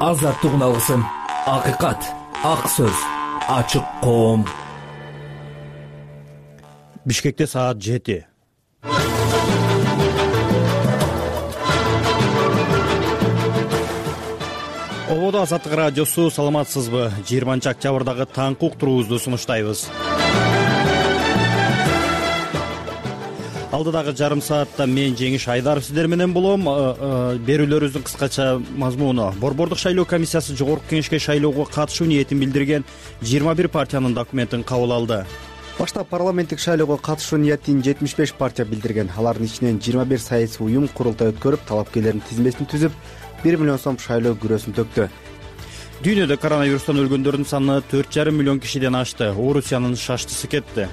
Азаттык алгысым, акыйкат, ак сөз, ачык коом. Бишкекте саат 7. Ободо Азаттык радиосу, саламатсызбы? 20-октябрдагы таңкы уктуруубузду сунуштайбыз. Алдыдагы жарым саатта мен Жеңиш Айдаров сиздер менен болом. Берүүлөрүбүздүн кыскача мазмуну: Борбордук шайлоо комиссиясы жогорку кеңешке шайлоого катышуу ниетин билдирген 21 партиянын документин кабыл алды. Башта парламенттик шайлоого катышуу ниетин 75 партия билдирген. Алардын ичинен 21 саясий уюм курултай өткөрүп, талапкерлердин тизмесин түзүп, 1 миллион сом шайлоо күрөсүн төктү. Дүйнөдө коронавирустан өлгөндөрдүн саны 4,5 миллион кишиден ашты. Орусиянын шаштысы кетти.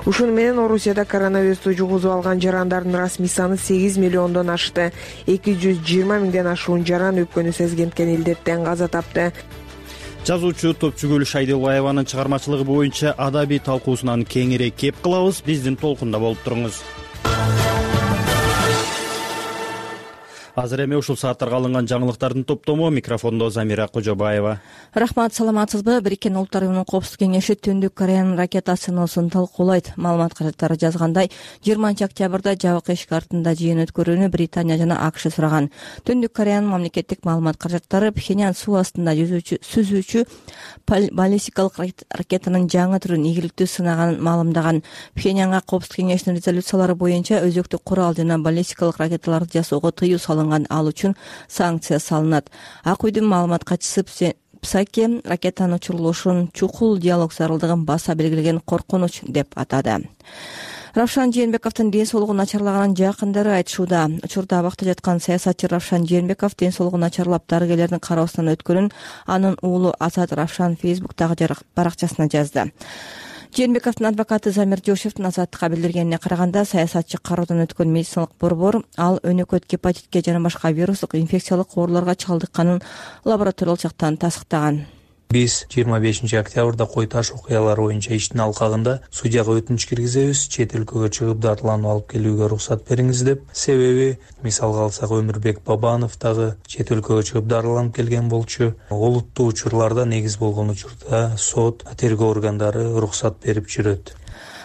Ушуну менен Орусияда коронавирусту жугузуп алган жарандардын расмий саны 8 миллиондон ашты. 220 миңден ашуун жаран өпкөнү сезгенткен илдеттен каза тапты. Жазуучу Топчугүл Шайдылбаеванын чыгармачылыгы боюнча адабий талкуусунан кеңирээк кеп кылабыз. Биздин толкунда болуп туруңуз. Азыр эми ушул сааттарга алынган жаңылыктардын топтому. Микрофондо Замира Кожобаева. Рахмат, саламатсызбы? Бириккен Улуттар уюмунун Коопсуздук кеңеши Түндүк Кореянын ракета сыноосун талкуулайт. Маалымат каражаттары жазгандай, 20-октябрда жабык эшик артында жыйын өткөрүүнү Британия жана АКШ сураган. Түндүк Кореянын мамлекеттик маалымат каражаттары Пхеньян суу астында сүзүүчү баллистикалык ракетанын жаңы түрүн ийгиликтүү сынаганын маалымдаган. Пхеньянга Коопсуздук кеңешинин резолюциялары боюнча өзөктүк курал жана баллистикалык ракеталарды жасоого тыюу салынган, ал үчүн санкция салынат. Ак үйдүн маалымат катчысы Псаке ракетанын учурулушун чукул диалог зарылдыгын баса белгилеген коркунуч деп атады. Равшан Жээнбековдун ден соолугу начарлаганын жакындары айтышууда. Учурда абакта жаткан саясатчы Равшан Жээнбеков ден соолугу начарлап дарыгерлердин кароосунан өткөнүн анын уулу Азат Равшан Фейсбуктагы баракчасына жазды. Жээнбековдун адвокаты Замир Жошевдин Азаттыкка билдиргенине караганда, саясатчы кароодон өткөн медициналык борбор ал өнөкөт гепатитке жана башка вирустук инфекциялык ооруларга чалдыкканын лабораториялык жактан тастыктаган. Биз 25 октябрда кой таш окуялары боюнча иштин алкагында судьяга өтүнүч киргизебиз, чет өлкөгө чыгып дарыланып алып келүүгө уруксат бериңиз деп. Себеби, мисалга алсак, Өмүрбек Бабанов дагы чет өлкөгө чыгып дарыланып келген болчу. Олуттуу учурларда негиз болгон учурда сот, тергөө органдары уруксат берип жүрөт.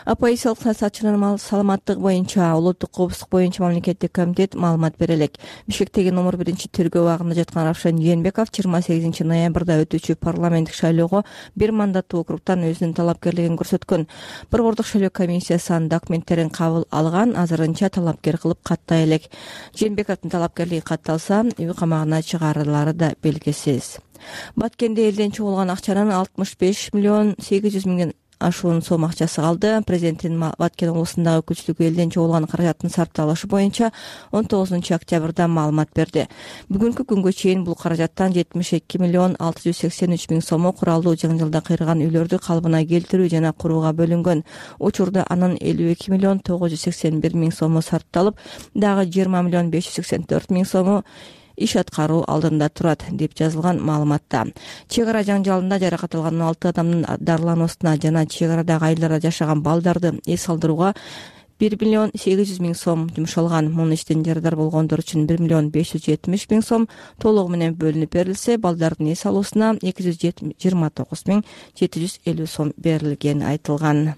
Оппозициялык саясатчынын саламаттыгы боюнча улуттук коопсуздук боюнча мамлекеттик комитет маалымат бере элек. Бишкектеги номер 1 тергөө абагында жаткан Равшан Жээнбеков 28 ноябрда өтүүчү парламенттик шайлоого бир мандаттуу округтан өзүнүн талапкерлигин көрсөткөн. Борбордук шайлоо комиссиясы анын документтерин кабыл алган, азырынча талапкер кылып каттай элек. Жээнбековдун талапкерлиги катталса, үй камагына чыгарылары да белгисиз. Баткенде элден чогулган акчанын 65 миллион 800 миңден ашуун сом акчасы калды. Президенттин Баткен облусундагы өкүлчүлүгү элден чогулган каражаттын сарпталышы боюнча 19 октябрда маалымат берди. Бүгүнкү күнгө чейин бул каражаттан 72 миллион 683 миң сому куралдуу жаңжалда кыйраган үйлөрдү калыбына келтирүү жана курууга бөлүнгөн. Учурда анын 52 миллион 981 миң сому сарпталып, дагы 20 миллион 584 миң сому иш аткаруу алдында турат деп жазылган маалыматта. Чек ара жаңжалында жаракат алган 16 адамдын дарылануусуна жана чек арадагы айылдарда жашаган балдарды эс алдырууга 1 миллион 800 миң сом жумшалган. Мунун иштен жарадар болгондор үчүн 1 миллион 570 миң сом толугу менен бөлүнүп берилсе, балдардын эс алуусуна 229 миң 750 сом берилгени айтылган.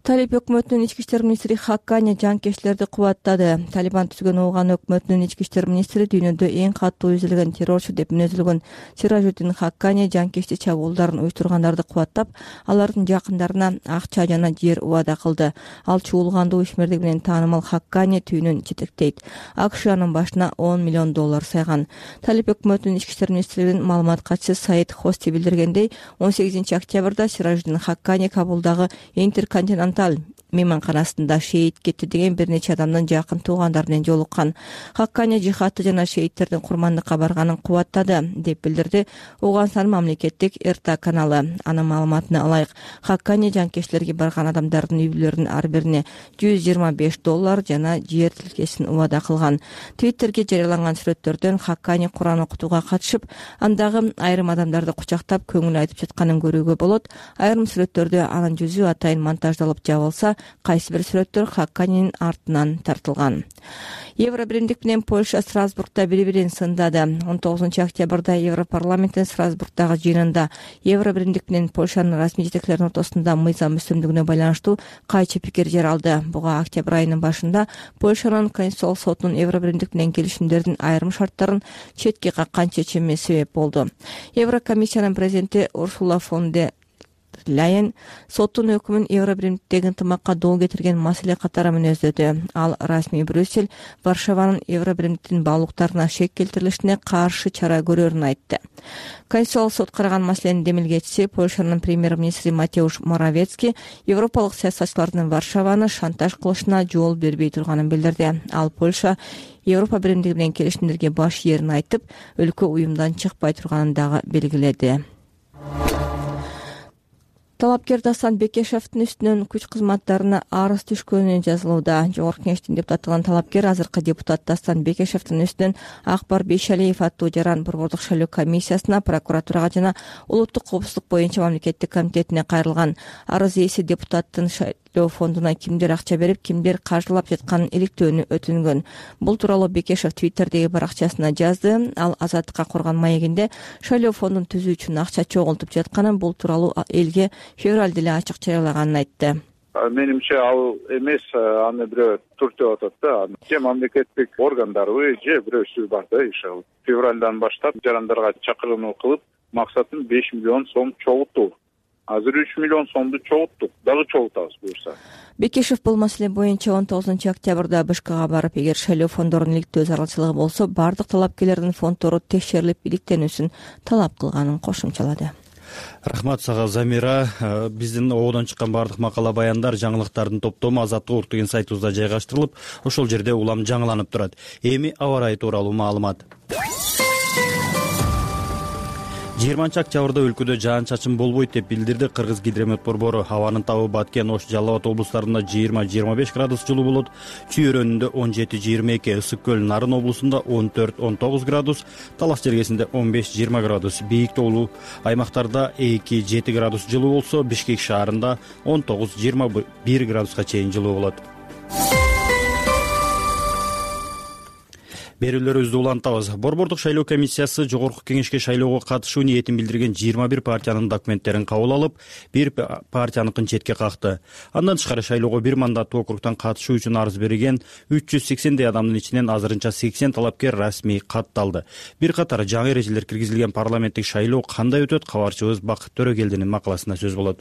Талиб өкмөтүнүн ички иштер министри Хаккани жанкечтерди кубаттады. Талибан түзгөн Ооган өкмөтүнүн ички иштер министри дүйнөдө эң катуу изилген террорчу деп мүнөзүлгөн Сиражуддин Хаккани жанкечти чабуулдарын уюштургандарды кубаттап, алардын жакындарына акча жана жер убада кылды. Ал чуулгандуу ишмердиги менен таанымал Хаккани түйүнүн жетектейт. АКШ анын башына 10 миллион доллар сайган. Талиб өкмөтүнүн ички иштер министринин маалымат катчысы Саид Хости билдиргендей, 18 октябрда Сиражуддин Хаккани Кабулдагы Интерконтиненталь мейманканасында шейит кетти деген бир нече адамдын жакын туугандар менен жолуккан. Хаккани жихадты жана шейттердин курмандыкка барганын кубаттады деп билдирди Ооганстан мамлекеттик РТ каналы. Анын маалыматына ылайык, Хаккани жанкечтерге барган адамдардын үй бүлөлөрүнүн ар бирине 125 доллар жана жер тилкесин убада кылган. Твиттерге жарыяланган сүрөттөрдөн Хаккани Куран окутууга катышып, андагы айрым адамдарды кучактап көңүл айтып жатканын көрүүгө болот. Айрым сүрөттөрдө анын жүзү атайын монтаждалып жабылса, кайсы бир сүрөттөр Хаканинин артынан тартылган. Евро биримдик менен Польша Страсбургда бири-бирин сындады. 19 октябрда Европарламенттин Страсбургдагы жыйынында Евро биримдик менен Польшанын расмий жетекчилеринин ортосунда мыйзам үстөмдүгүнө байланыштуу кайчы пикир жаралды. Буга октябрь айынын башында Польшанын Конституциялык сотунун Евро биримдик менен келишимдердин айрым шарттарын четке каккан чечими себеп болду. Еврокомиссиянын президенти Урсула фон дер Ляйен соттун өкүмүн Евро биримдиктеги ынтымакка доо кетирген маселе катары мүнөздөдү. Ал расмий Брюссель Варшаванын Евро биримдиктин баалуулуктарына шек келтирилишине каршы чара көрөрүн айтты. Конституциялык сот караган маселенин демилгечиси Польшанын премьер-министри Матеуш Моравецкий европалык саясатчылардын Варшаваны шантаж кылышына жол бербей турганын билдирди. Ал Польша Европа биримдиги менен келишимдерге баш ийерин айтып, өлкө уюмдан чыкпай турганын дагы белгиледи. Талапкер Дастан Бекешевдин үстүнөн күч кызматтарына арыз түшкөнү жазылууда. Жогорку Кеңештин депутаттыгын талапкер азыркы депутат Дастан Бекешевдин үстүнөн Акбар Бейшалиев аттуу жаран борбордук шайлоо комиссиясына, прокуратурага жана улуттук коопсуздук боюнча мамлекеттик комитетине кайрылган. Арыз ээси депутаттын шайлоо фондуна кимдер акча берип, кимдер каржылап жатканын иликтөөнү өтүнгөн. Бул тууралуу Бекешев Твиттердеги баракчасына жазды. Ал Азаттыкка курган маегинде шайлоо фондун түзүү үчүн акча чогултуп жатканын, бул тууралуу элге февралда эле ачык жарыялаганын айтты. Менимче ал эмес, аны бирөө түртүп атат да. Же мамлекеттик органдарбы, же бирөөсү бар да иши. Февралдан баштап жарандарга чакыруу кылып, максатым 5 миллион сом чогултуу. Азыр 3 миллион сомду чогулттук, дагы чогултабыз буюрса. Бекешев бул маселе боюнча 19 октябрда БШКга барып, эгер шайлоо фондорунун иликтөө зарылчылыгы болсо, бардык талапкерлердин фонддору текшерилип иликтенүүсүн талап кылганын кошумчалады. Рахмат сага, Замира. Биздин ободон чыккан бардык макала баяндар, жаңылыктардын топтому Азаттык урт деген сайтыбызда жайгаштырылып, ошол жерде улам жаңыланып турат. Эми аба ырайы тууралуу маалымат. 20 октябрда өлкөдө жаан-чачын болбойт деп билдирди Кыргыз гидромет борбору. Абанын табы Баткен, Ош, Жалал Абад облустарында 20-25 градус жылуу болот. Чүй өрөөнүндө 17-22, Ысык көл, Нарын облусунда 14-19 градус, Талас жергесинде 15-20 градус, бийик тоолуу аймактарда 2-7 градус жылуу болсо, Бишкек шаарында 19-21 градуска чейин жылуу болот. Берүүлөрүбүздү улантабыз. Борбордук шайлоо комиссиясы Жогорку Кеңешке шайлоого катышуу ниетин билдирген 21 партиянын документтерин кабыл алып, бир партияныкын четке какты. Андан тышкары шайлоого бир мандаттуу округтан катышуу үчүн арыз берген 380 адамдын ичинен азырынча 80 талапкер расмий катталды. Бир катар жаңы эрежелер киргизилген парламенттик шайлоо кандай өтөт? Кабарчыбыз Бакыт Төрөгелдинин макаласында сөз болот.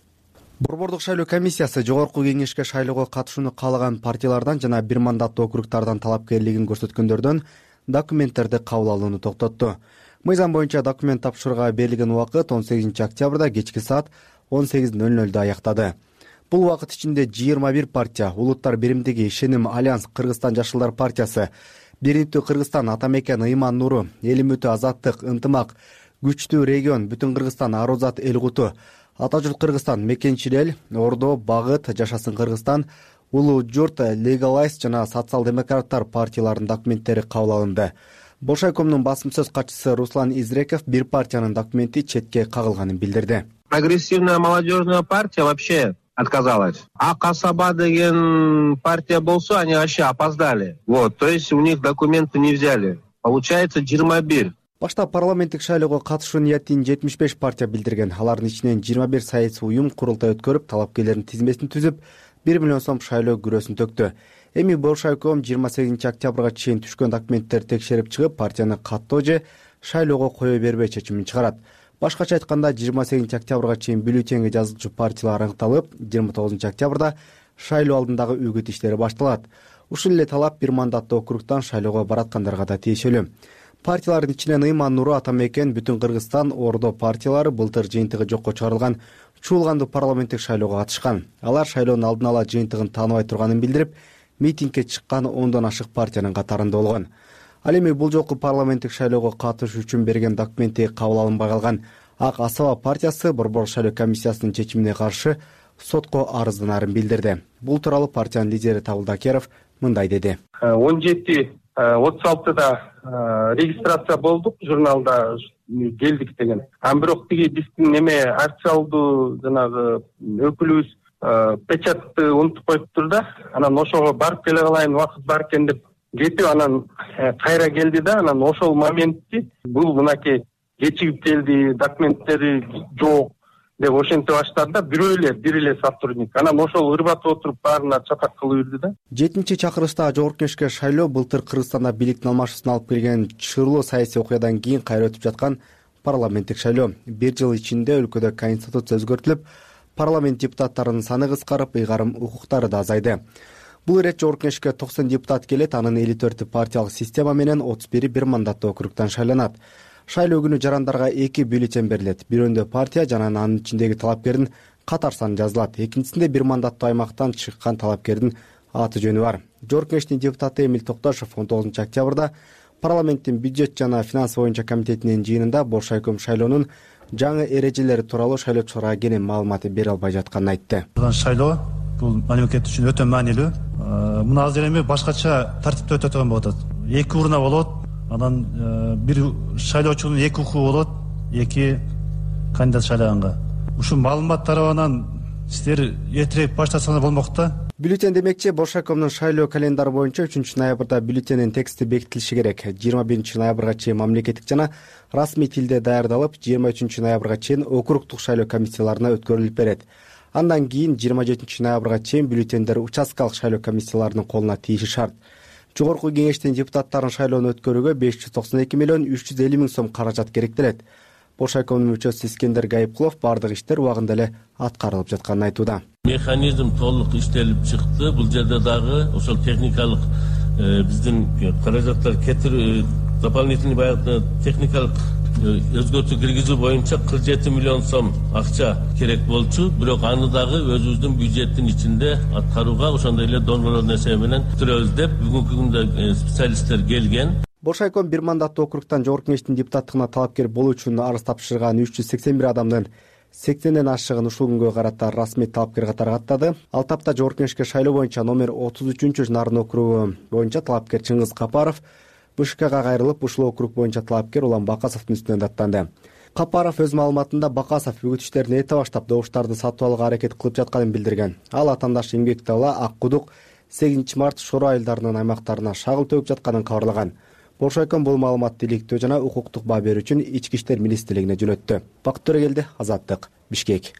Борбордук шайлоо комиссиясы Жогорку Кеңешке шайлоого катышууну каалаган партиялардан жана бир мандаттуу округтардан талапкерлигин көрсөткөндөрдөн документтерди кабыл алууну токтотту. Мыйзам боюнча документ тапшырууга берилген убакыт 18 октябрда кечки саат 18:00 аяктады. Бул убакыт ичинде 21 партия, Улуттар биримдиги, Ишеним, Альянс, Кыргызстан жашылдар партиясы, Бириктүү Кыргызстан, Атамекен, Ыйман Нуру, Эл үмүтү, Азаттык, Ынтымак, Күчтүү регион, Бүтүн Кыргызстан, Арузат, Эл Куту, Ата журт Кыргызстан, Мекенчил эл, Ордо, Багыт, Жашасын Кыргызстан, Улуу журт, Легалайз жана социал-демократтар партияларынын документтери кабыл алынды. Болшайкомдун басым сөз катчысы Руслан Изреков бир партиянын документи четке кагылганын билдирди. Прогрессивная молодежная партия вообще отказалась. А Касаба деген партия болсо, они вообще опоздали. То есть у них документы не взяли. Получается 21. Башта парламенттик шайлоого катышуу ниетин 75 партия билдирген. Алардын ичинен 21 саясий уюм курултай өткөрүп, талапкерлердин тизмесин түзүп, 1 миллион сом шайлоо күрөсүн төктү. Эми Болшайком 28 октябрга чейин түшкөн документтерди текшерип чыгып, партияны каттоо же шайлоого кое бербей чечимин чыгарат. Башкача айтканда, 28 октябрга чейин бюллетенге жазылчу партиялар аныкталып, 29 октябрда шайлоо алдындагы үгүт иштери башталат. Ушул эле талап бир мандаттуу округтан шайлоого бараткандарга да тиешелүү. Партиялардын ичинен Ыйман Нуру, Атамекен, Бүтүн Кыргызстан, Ордо партиялары былтыр жыйынтыгы жокко чыгарылган чуулгандуу парламенттик шайлоого катышкан. Алар шайлоонун алдын ала жыйынтыгын тааныбай турганын билдирип, митингге чыккан 10дон ашык партиянын катарында болгон. Ал эми бул жолку парламенттик шайлоого катышуу үчүн берген документи кабыл алынбай калган Ак Асаба партиясы Борбордук шайлоо комиссиясынын чечимине каршы сотко арызданарын билдирди. Бул тууралуу партиянын лидери Табылдакеров мындай деди. 17:36 регистрация болдук, журналда келдик деген. Бирок тиги биздин акциялдуу жанагы өкүлүбүз печатты унутуп коюптур да, анан ошого барып келе калайын, убакыт бар экен деп кетип, анан кайра келди да, анан ошол моментти бул мынакей кечигип келди, документтери жок деп ошентип баштады да, бир эле сотрудник. Анан ошол ырбатып отуруп баарына чатак кылып ирди да. 7-чакырылыштагы Жогорку Кеңешке шайлоо былтыр Кыргызстанда бийликтин алмашуусуна алып келген чырлуу саясий окуядан кийин кайра өтүп жаткан парламенттик шайлоо. Бир жыл ичинде өлкөдө конституция өзгөртүлүп, парламент депутаттарынын саны кыскарып, ыйгарым укуктары да азайды. Бул ирет Жогорку Кеңешке 90 депутат келет, анын 54 партиялык система менен 31 бир мандаттуу округтан шайланат. Шайлоо күнү жарандарга 2 бюллетень берилет. Бирөөндө партия жана анын ичиндеги талапкердин катар саны жазылат. Экинчисинде бир мандаттуу аймактан чыккан талапкердин аты жөнү бар. Жогорку Кеңештин депутаты Эмил Токтошов 19 октябрда парламенттин бюджет жана финанс боюнча комитетинин жыйынында Боршайком шайлоонун жаңы эрежелери тууралуу шайлоочуларга кенен маалымат бере албай жатканын айтты. Шайлоо бул мамлекет үчүн өтө маанилүү. Муну азыр эми башкача тартипте өтө турган болот. 2 урна болот. Анан бир шайлоочунун 2 укугу болот, 2 кандидат шайлаганга. Ушул маалымат тарабынан сиздер эртерээк баштасаңар болмок да. Бюллетень демекчи, Боршайкомдун шайлоо календары боюнча 3-ноябрда бюллетендин тексти бекитилиши керек. 21 ноябрга чейин мамлекеттик жана расмий тилде даярдалып, 23 ноябрга чейин округдук шайлоо комиссияларына өткөрүлүп берет. Андан кийин 27 ноябрга чейин бюллетендер участкалык шайлоо комиссияларынын колуна тийиши шарт. Жогорку Кеңештин депутаттарын шайлоону өткөрүүгө 592 миллион 350 миң сом каражат керектелет. Боршайкомдун мүчөсү Искендер Гайыпкулов бардык иштер убагында эле аткарылып жатканын айтууда. Механизм толук иштелип чыкты. Бул жерде дагы ошол техникалык биздин каражаттар кетирип, дополнительный баягы техникалык өзгөртүү киргизүү боюнча 47 миллион сом акча керек болчу. Бирок аны дагы өзүбүздүн бюджеттин ичинде аткарууга ошондой эле донорлордун эсеби менен түзөбүз деп бүгүнкү күндө специалисттер келген. Боршайком бир мандаттуу округтан Жогорку Кеңештин депутаттыгына талапкер болуу үчүн арыз тапшырган 381 адамдын 80ден ашыгын ушул күнгө карата расмий талапкер катары каттады. Ал тапта Жогорку Кеңешке шайлоо боюнча номер 33 Нарын округу боюнча талапкер Чыңгыз Капаров БШКга кайрылып, ушул округ боюнча талапкер Улан Бакасовдун үстүнөн даттанды. Капаров өз маалыматында Бакасов үгүт иштерин эрте баштап добуштарды сатып алууга аракет кылып жатканын билдирген. Ал атаандаш эмгек дала Ак Кудук 8 март Шоро айылдарынын аймактарына шагыл төгүп жатканын кабарлаган. Боршайком бул маалыматты иликтөө жана укуктук баа берүү үчүн Ички иштер министрлигине жөнөттү. Бакыт Төрөгелди, Азаттык, Бишкек.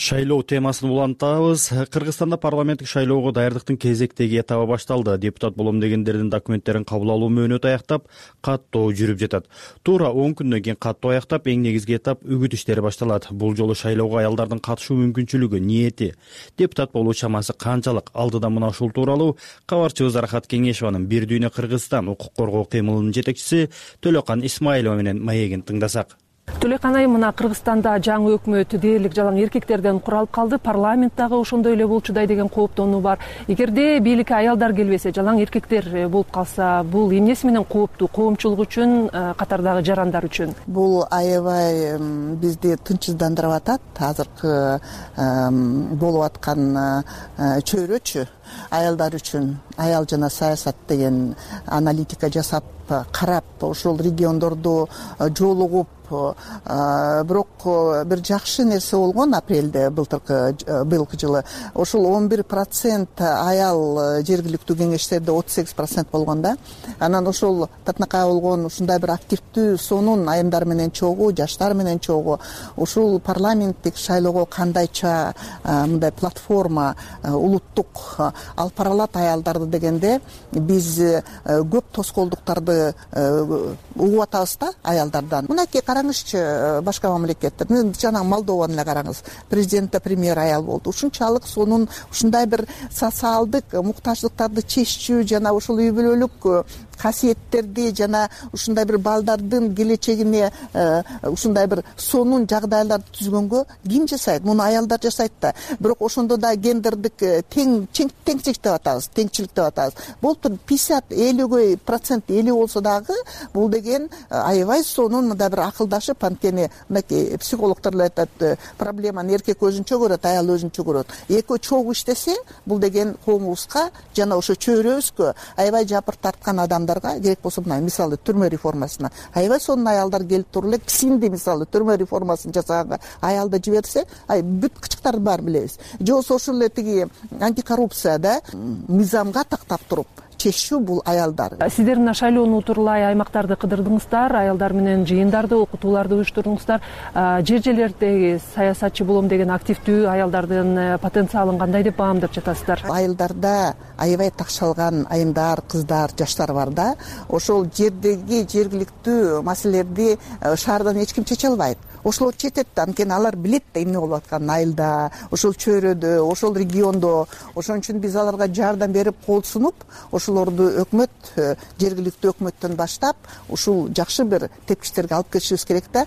Шайлоо темасын улантабыз. Кыргызстанда парламенттик шайлоого даярдыктын кезектеги этабы башталды. Депутат болом дегендердин документтерин кабыл алуу мөөнөтү аяктап, каттоо жүрүп жатат. Туура 10 күндөн кийин каттоо аяктап, эң негизги этап үгүт иштери башталат. Бул жолу шайлоого аялдардын катышуу мүмкүнчүлүгү, ниети, депутат болуу чамасы канчалык? Алдыда мына ушул тууралуу кабарчыбыз Арахат Кеңешованын Бир дүйнө Кыргызстан укук коргоо кыймылынын жетекчиси Төлөкан Исмаилова менен маегин тыңдасак. Төлөкан айым, мына Кыргызстанда жаңы өкмөт дээрлик жалаң эркектерден куралып калды. Парламент дагы ошондой эле болчудай деген кооптонуу бар. Эгерде бийликке аялдар келбесе, жалаң эркектер болуп калса, бул эмнеси менен кооптуу? Коомчулук үчүн, катардагы жарандар үчүн. Бул аябай бизди тынчсыздандырып атат. Азыркы болуп аткан чөйрөчү аялдар үчүн, аял жана саясат деген аналитика жасап карап, ошол региондорду жолугуп, бирок бир жакшы нерсе болгон апрелде быйылкы жылы. Ошол 11% аял жергиликтүү кеңештерде 38% болгон да. Анан ошол татынакай болгон ушундай бир активдүү сонун айымдар менен чогуу, жаштар менен чогуу ушул парламенттик шайлоого кандайча мындай платформа улуттук алып бара алат аялдарды дегенде, биз көп тоскоолдуктарды угуп атабыз да аялдардан. Мынакей караңызчы башка мамлекеттер, жана Молдованы эле караңыз. Президентте премьер аял болду. Ушунчалык сонун ушундай бир социалдык муктаждыктарды чечүү жана ушул үй бүлөлүк касиеттерди жана ушундай бир балдардын келечегине ушундай бир сонун жагдайларды түзгөнгө ким жасайт? Муну аялдар жасайт да. Бирок ошондо да гендердик теңчилик деп атабыз, теңчилик деп атабыз. Болуптур 50% 50 болсо дагы бул деген аябай сонун мындай бир акылдашып, анткени мынакей психологдор эле айтат, проблеманы эркек өзүнчө көрөт, аял өзүнчө көрөт. Экөө чогуу иштесе, бул деген коомубузга жана ошо чөйрөбүзгө аябай жапыр тарткан адамдар аялдарга керек болсо мына мисалы түрмө реформасына аябай сонун аялдар келип туруп эле кичинди мисалы түрмө реформасын жасаганга аялды жиберсе бүт кычыктарды баарын билебиз. Же болбосо ошол эле тиги антикоррупцияда мыйзамга тактап туруп чечүү бул аялдар. Сиздер мына шайлоону утурлай аймактарды кыдырдыңыздар, аялдар менен жыйындарды, окутууларды уюштурдуңуздар. Жер жерлердеги саясатчы болом деген активдүү аялдардын потенциалын кандай деп баамдап жатасыздар? Айылдарда аябай такшалган айымдар, кыздар, жаштар бар да. Ошол жердеги жергиликтүү маселелерди шаардан эч ким чече албайт. Ошолор четет да, анткени алар билет да эмне болуп атканын айылда, ошол чөйрөдө, ошол региондо. Ошон үчүн биз аларга жардам берип, кол сунуп, ошолорду өкмөт, жергиликтүү өкмөттөн баштап, ушул жакшы бир тепкичтерге алып кетишибиз керек да.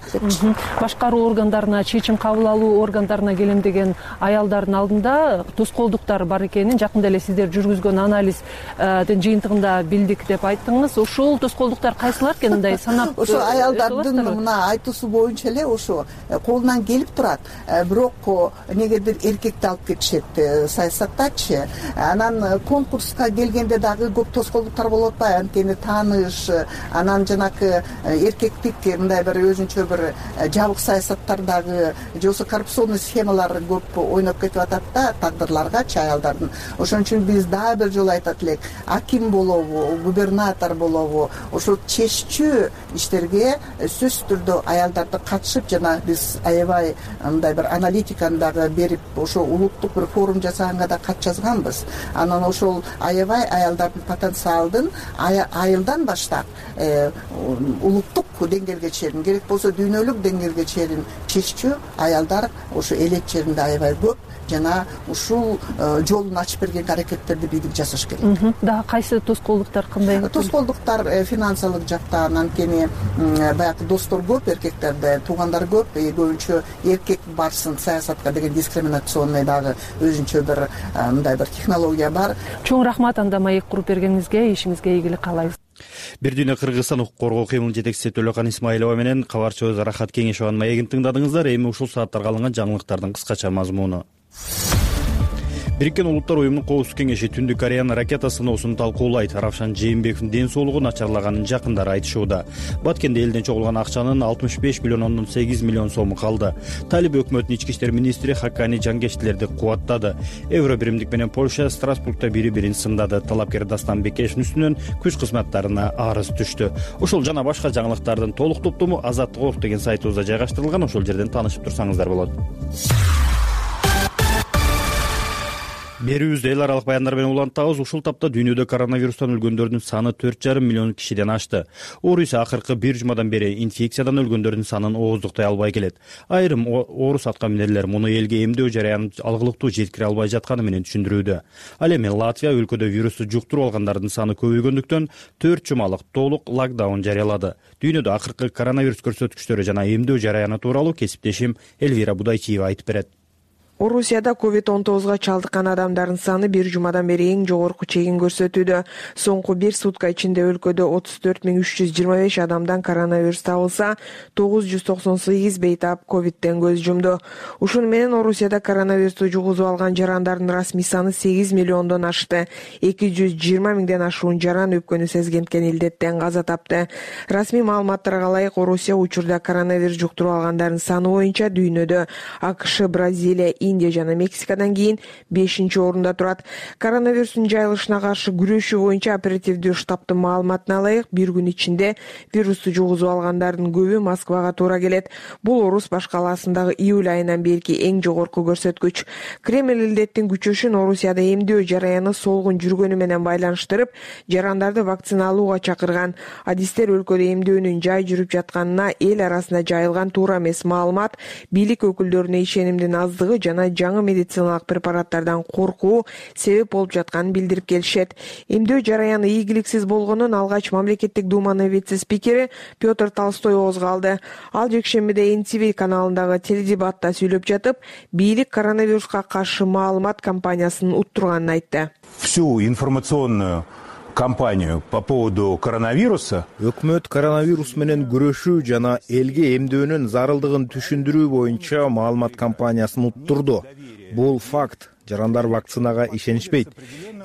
Башкаруу органдарына, чечим кабыл алуу органдарына келем деген аялдардын алдында тоскоолдуктар бар экенин жакында эле сиздер жүргүзгөн анализдин жыйынтыгында билдик деп айттыңыз. Ошол тоскоолдуктар кайсылар экен, мындай санап? Ошо аялдардын мына айтуусу боюнча эле колунан келип турат, бирок негедир эркекти алып кетишет саясаттачы. Анан конкурска келгенде дагы көп тоскоолдуктар болуп атпайбы, анткени тааныш, анан жанакы эркектик мындай бир өзүнчө бир жабык саясаттар дагы, же болбосо коррупционный схемалар көп ойноп кетип атат да тагдырларгачы аялдардын. Ошон үчүн биз дагы бир жолу айтат элек, аким болобу, губернатор болобу, ошол чеччүү иштерге сөзсүз түрдө аялдарды катышып, жана биз аябай мындай бир аналитиканы дагы берип, ошо улуттук бир форум жасаганга да кат жазганбыз. Анан ошол аябай аялдардын потенциалдын айылдан баштап улуттук деңгээлге чейин, керек болсо дүйнөлүк деңгээлге чейин чеччүү аялдар ошо элет жеринде аябай көп, жана ушул жолун ачып берген аракеттерди бийлик жасаш керек. Дагы кайсы тоскоолдуктар кандай? Тоскоолдуктар финансылык жактан, анткени баягы достор көп, эркектерде туугандар көп, көбүнчө эркек барсын саясатка деген дискриминационный дагы өзүнчө бир мындай бир технология бар. Чоң рахмат анда маек куруп бергениңизге, ишиңизге ийгилик каалайбыз. Бир дүйнө Кыргызстан укук коргоо кыймыл жетекчиси Төлөкан Исмаилова менен кабарчыбыз Рахат Кеңешованын маегин тыңдадыңыздар. Эми ушул сааттарга алынган жаңылыктардын кыскача мазмуну. Бириккен Улуттар уюмунун Коопсуздук кеңеши Түндүк Кореянын ракета сыноосун талкуулайт. Равшан Жээнбековдун ден соолугу начарлаганын жакындары айтышууда. Баткенде элден чогулган акчанын 65,8 миллион сому калды. Талиб өкмөтүнүн ички иштер министри Хакани Жангештилерди кубаттады. Евро биримдик менен Польша Страсбургда бири-бирин сындады. Талапкер Дастан Бекешевдин үстүнөн күч кызматтарына арыз түштү. Ошол жана башка жаңылыктардын толук топтому Азаттык деген сайтыбызда жайгаштырылган. Ошол жерден таанышып турсаңыздар болот. Берүүбүздө эл аралык баяндар менен улантабыз. Ушул тапта дүйнөдө коронавирустан өлгөндөрдүн саны 4,5 миллион кишиден ашты. Орус акыркы бир жумадан бери инфекциядан өлгөндөрдүн санын ооздуктай албай келет. Айрым орус аткаминерлер муну элге эмдөө жараянын алгылыктуу жеткире албай жатканы менен түшүндүрүүдө. Ал эми Латвия өлкөдө вирусту жуктуруп алгандардын саны көбөйгөндүктөн 4 жумалык толук локдаун жарыялады. Дүйнөдө акыркы коронавирус көрсөткүчтөрү жана эмдөө жараяны тууралуу кесиптешим Элвира Будайчиева айтып берет. Орусияда COVID-19 чалдыккан адамдардын саны бир жумадан бери эң жогорку чегин көрсөтүүдө. Соңку бир сутка ичинде өлкөдө 34,325 адамдан коронавирус табылса, 998 бейтап ковидтен көз жумду. Ушуну менен Орусияда коронавирусту жугузуп алган жарандардын расмий саны 8 миллиондон ашты. 220 миңден ашуун жаран өпкөнү сезгенткен илдеттен каза тапты. Расмий маалыматтарга ылайык Орусия учурда коронавирус жуктуруп алгандардын саны боюнча дүйнөдө АКШ, Бразилия, Индия жана Мексикадан кийин 5-орунда турат. Коронавирустун жайылышына каршы күрөшүү боюнча оперативдүү штабтын маалыматына ылайык, бир күн ичинде вирусту жугузуп алгандардын көбү Москвага туура келет. Бул Орус баш калаасындагы июль айынан берки эң жогорку көрсөткүч. Кремль илдеттин күчөшүн Орусияда эмдөө жараяны солгун жүргөнү менен байланыштырып, жарандарды вакциналууга чакырган. Адистер өлкөдө эмдөөнүн жай жүрүп жатканына, эл арасында жайылган туура эмес маалымат, бийлик өкүлдөрүнө ишенимдин аздыгы жана жаңы медициналык препараттардан коркуу себеп болуп жатканын билдирип келишет. Эмдөө жараяны ийгиликсиз болгонун алгач мамлекеттик думанын вице-спикери Петр Толстой оозго алды. Ал жекшембиде NTV каналындагы теледебатта сүйлөп жатып, бийлик коронавируска каршы маалымат кампаниясын уттурганын айтты. Всю информационную кампанию по поводу коронавируса өкмөт коронавирус менен күрөшүү жана элге эмдөөнүн зарылдыгын түшүндүрүү боюнча маалымат кампаниясын уттурду. Бул факт. жарандар вакцинага ишенишпейт.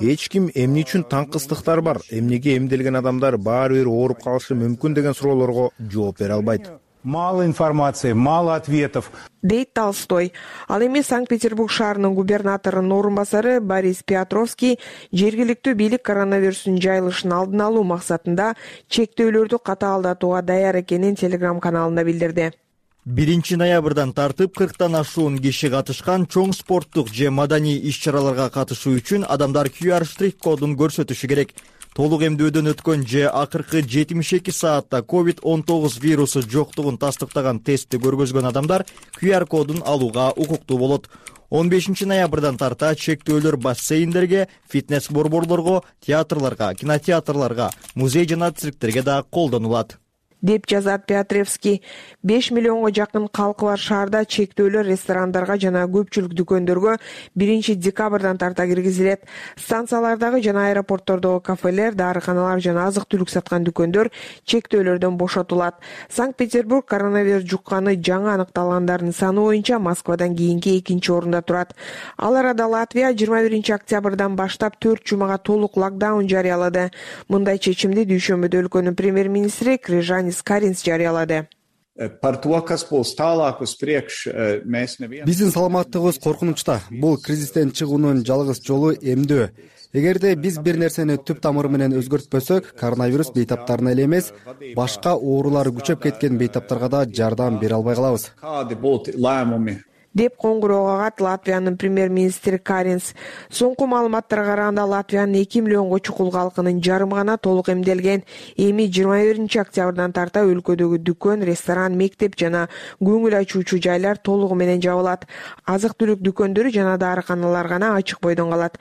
Эч ким эмне үчүн таңкыстыктар бар, эмнеге эмделген адамдар баары бир ооруп калышы мүмкүн деген суроолорго жооп бере албайт. Мало информации, мало ответов. Дейт Толстой. Ал эми Санкт-Петербург шаарынын губернаторунун орун басары Борис Петровский жергиликтүү бийлик коронавирустун жайылышын алдын алуу максатында чектөөлөрдү катаалдатууга даяр экенин Telegram каналында билдирди. 1 ноябрдан тартып 40тан ашуун киши катышкан чоң спорттук же маданий иш-чараларга катышуу үчүн адамдар QR штрих кодун көрсөтүшү керек. Толук эмдөөдөн өткөн же акыркы 72 саатта COVID-19 вирусу жоктугун тастыктаган тестти көргөзгөн адамдар QR кодун алууга укуктуу болот. 15 ноябрдан тарта чектөөлөр бассейндерге, фитнес-борборлорго, театрларга, кинотеатрларга, музей жана цирктерге да колдонулат, деп жазат Петровский. 5 миллионго жакын калкы бар шаарда чектөөлөр ресторандарга жана көпчүлүк дүкөндөргө 1 декабрдан тарта киргизилет. Станциялардагы жана аэропорттордогу кафелер, дарыканалар жана азык-түлүк саткан дүкөндөр чектөөлөрдөн бошотулат. Санкт-Петербург коронавирус жукканы жаңы аныкталгандардын саны боюнча Москвадан кийинки 2-орунда турат. Ал арада Латвия 21 октябрдан баштап 4 жумага толук локдаун жарыялады. Мындай чечимди дүйшөмбүдө өлкөнүн премьер-министри Крижанис Каринс жарыялады. Биздин саламаттыгыбыз коркунучта. Бул кризистен чыгуунун жалгыз жолу эмдөө. Эгерде биз бир нерсени түп тамыры менен өзгөртпөсөк, коронавирус бейтаптарына эле эмес, башка оорулар күчөп кеткен бейтаптарга да жардам бере албай калабыз, деп коңгуроо кагат Латвиянын премьер-министри Каринс. Соңку маалыматтарга караганда Латвиянын 2 миллионго чукул калкынын жарымы гана толук эмделген. Эми 21 октябрдан тарта өлкөдөгү дүкөн, ресторан, мектеп жана көңүл ачуучу жайлар толугу менен жабылат. Азык-түлүк дүкөндөрү жана дарыканалар гана ачык бойдон калат.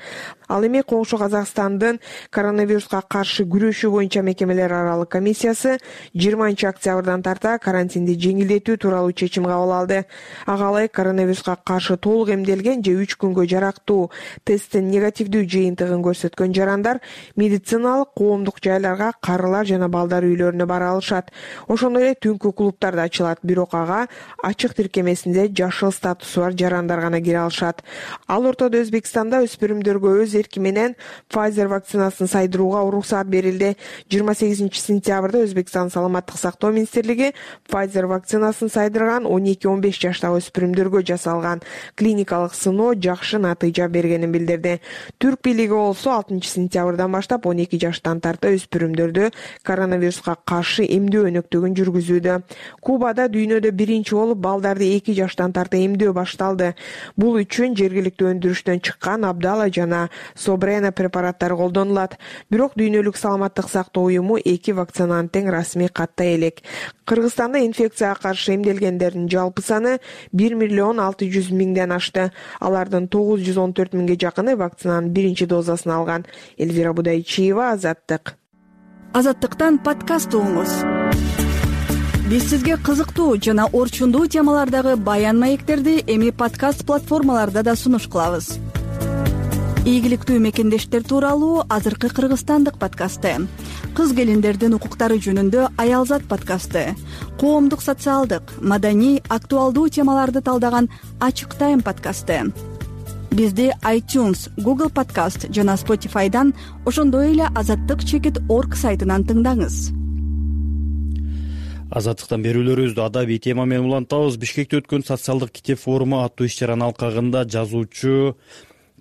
Ал эми коңшу Казакстандын коронавируска каршы күрөшүү боюнча мекемелер аралык комиссиясы 20 октябрдан тарта карантинди жеңилдетүү тууралуу чечим кабыл алды. Ага ылайык коронавируска каршы толук эмделген же 3 күнгө жарактуу тесттин негативдүү жыйынтыгын көрсөткөн жарандар медициналык коомдук жайларга, карылар жана балдар үйлөрүнө бара алышат. Ошондой эле түнкү клубдар да ачылат, бирок ага ачык тиркемесинде жашыл статусу бар жарандар гана кире алышат. Ал ортодо Өзбекстанда өспүрүмдөргө өз эрки менен Pfizer вакцинасын сайдырууга уруксат берилди. 28 сентябрда Өзбекстан саламаттык сактоо министрлиги Pfizer вакцинасын сайдырган 12-15 жаштагы өспүрүмдөргө жасалган клиникалык сыноо жакшы натыйжа бергенин билдирди. Түрк бийлиги болсо 6 сентябрдан баштап 12 жаштан тарта өспүрүмдөрдү коронавируска каршы эмдөө өнөктөгүн жүргүзүүдө. Кубада дүйнөдө биринчи болуп балдарды 2 жаштан тарта эмдөө башталды. Бул үчүн жергиликтүү өндүрүштөн чыккан Абдала жана Собрена препараттары колдонулат. Бирок дүйнөлүк саламаттык сактоо уюму 2 вакцинаны тең расмий каттай элек. Кыргызстанда инфекцияга каршы эмделгендердин жалпы саны 1 миллион 600 миңден ашты. Алардын 914 миңге жакыны вакцинанын биринчи дозасын алган. Эльвира Будайчиева, Азаттык. Азаттыктан подкаст угуңуз. Биз сизге кызыктуу жана орчундуу темалардагы баян маектерди эми подкаст платформаларда да сунуш кылабыз. Ийгиликтүү мекендештер тууралуу азыркы кыргызстандык подкасты, кыз келиндердин укуктары жөнүндө Аялзат подкасты, коомдук социалдык, маданий, актуалдуу темаларды талдаган Ачык Тайм подкасты. Бизди iTunes, Google Podcast жана Spotify'дан, ошондой эле azattyk.org сайтынан тыңдаңыз. Азаттыктан берүүлөрүбүздү адабий тема менен улантабыз. Бишкекте өткөн социалдык китеп форуму аттуу иш-чаранын алкагында жазуучу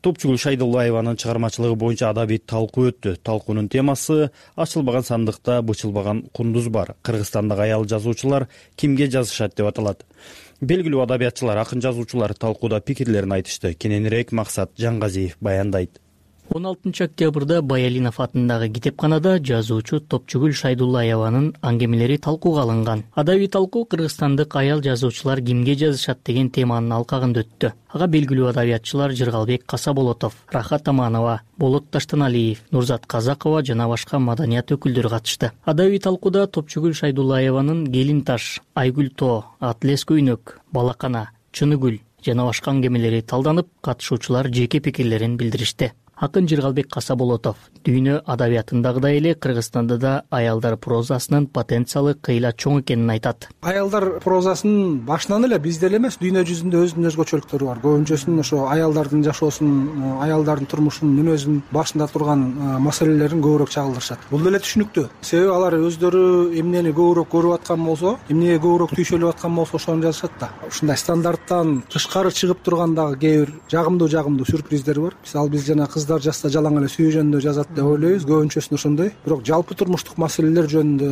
Топчугул Шайдуллаеванын чыгармачылыгы боюнча адабий талкуу өттү. Талкуунун темасы ачылбаган сандыкта бычылбаган кундуз бар. Кыргызстандагы аял жазуучулар кимге жазышат деп аталат. Белгилүү адабиятчылар, акын жазуучулар талкууда пикирлерин айтышты. Кененирээк Максат Жаңгазиев баяндайт. 16 октябрда Баялинов атындагы китепканада жазуучу Топчугул Шайдуллаеванын аңгемелери талкууга алынган. Адабий талкуу Кыргызстандык аял жазуучулар кимге жазышат деген теманын алкагында өттү. Ага белгилүү адабиятчылар Жыргалбек Касаболотов, Рахат Аманова, Болот Таштаналиев, Нурзат Казакова жана башка маданият өкүлдөрү катышты. Адабий талкууда Топчугул Шайдуллаеванын Келин таш, Айгүл тоо, Атлес көйнөк, Балакана, Чыныгүл жана башка аңгемелери талданып, катышуучулар жеке пикирлерин билдиришти. Акын Жыргалбек Касаболотов дүйнө адабиятындагыдай эле Кыргызстанда да аялдар прозасынын потенциалы кыйла чоң экенин айтат. Аялдар прозасынын башынан эле бизде эле эмес, дүйнө жүзүндө өзүнүн өзгөчөлүктөрү бар. Көбүнчөсүн ошо аялдардын жашоосун, аялдардын турмушунун мүнөзүн башында турган маселелерин көбүрөөк чагылдырышат. Бул деле түшүнүктүү. Себеби алар өздөрү эмнени көбүрөөк көрүп аткан болсо, эмнеге көбүрөөк түйшөлүп аткан болсо ошону жазышат да. Ушундай стандарттан тышкары чыгып турган дагы кээ бир жагымдуу сюрприздер бар. Мисалы биз жана кыздар жазса жалаң эле сүйүү жөнүндө жазат деп ойлойбуз, көбүнчөсүн ошондой. Бирок жалпы турмуштук маселелер жөнүндө,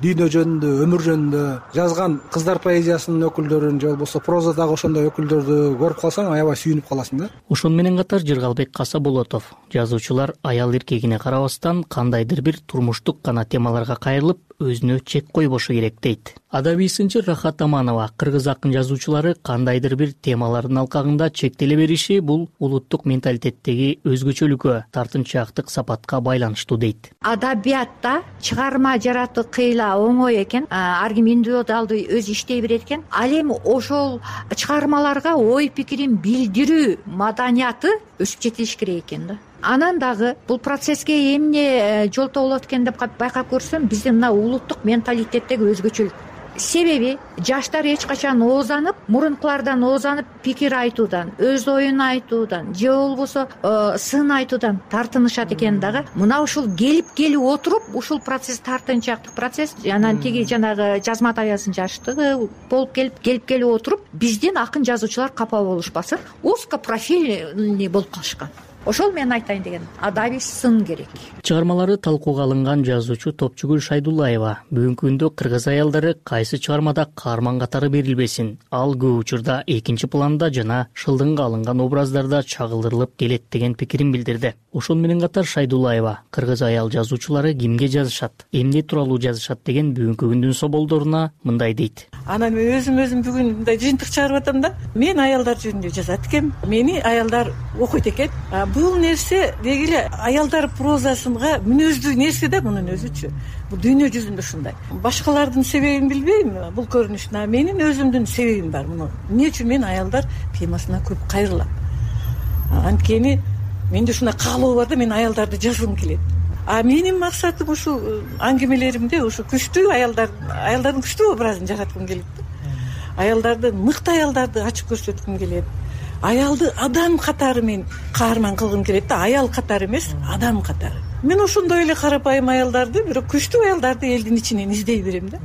дүйнө жөнүндө, өмүр жөнүндө жазган кыздар поэзиясынын өкүлдөрүн же болбосо прозадагы ошондой өкүлдөрдү көрүп калсаң, аябай сүйүнүп каласың да. Ошону менен катар Жыргалбек Касаболотов жазуучулар аял эркегине карабастан кандайдыр бир турмуштук гана темаларга кайрылып өзүнө чек койбошу керек дейт. Адабий сынчы Рахат Аманова кыргыз акын жазуучулары кандайдыр бир темалардын алкагында чектеле бериши бул улуттук менталитеттеги өзгөчөлүккө, тартынчаактык сапатка байланыштуу дейт. Адабиятта чыгарма жаратуу кыйла оңой экен, ар ким индивидуалдуу өзү иштей берет экен. Ал эми ошол чыгармаларга ой пикирин билдирүү маданияты өсүп жетилиш керек экен да. Анан дагы бул процесске эмне жолтоо болот экен деп байкап көрсөм, биздин мына улуттук менталитеттеги өзгөчөлүк. Себеби жаштар эч качан оозанып, мурункулардан оозанып пикир айтуудан, өз оюн айтуудан же болбосо сын айтуудан тартынышат экен дагы. Мына ушул келип отуруп, ушул процесс тартынчаактык процесс, анан тиги жанагы жазма табиясын жаштыгы болуп келип отуруп, биздин акын жазуучулар капа болушпасын, узкопрофильный болуп калышкан. Ошол мен айтайын деген, адабий сын керек. Чыгармалары талкууга алынган жазуучу Топчугүл Шайдуллаева бүгүнкү күндө кыргыз аялдары кайсы чыгармада каарман катары берилбесин, ал көп учурда экинчи планда жана шылдыңга алынган образдарда чагылдырылып келет деген пикирин билдирди. Ошону менен катар Шайдуллаева кыргыз аял жазуучулары кимге жазышат, эмне тууралуу жазышат деген бүгүнкү күндүн соболдоруна мындай дейт. Анан мен өзүм бүгүн мындай жыйынтык чыгарып атам да. Мен аялдар жөнүндө жазат экем. Мени аялдар окуйт экен. Бул нерсе деги эле аялдар прозасынга мүнөздүү нерсе да, мунун өзүчү. Бул дүйнө жүзүндө ушундай. Башкалардын себебин билбейм бул көрүнүштүн, менин өзүмдүн себебим бар. Муну эмне үчүн мен аялдар темасына көп кайрылам? Анткени менде ушундай каалоо бар да, мен аялдарды жазгым келет. Менин максатым ушул аңгемелеримде ушу күчтүү аялдардын күчтүү образын жараткым келет. Аялдарды, мыкты аялдарды ачып көрсөткүм келет. Аялды адам катары мен каарман кылгым келет да, аял катары эмес, адам катары. Мен ошондой эле карапайым аялдарды, бирок күчтүү аялдарды элдин ичинен издей берем да.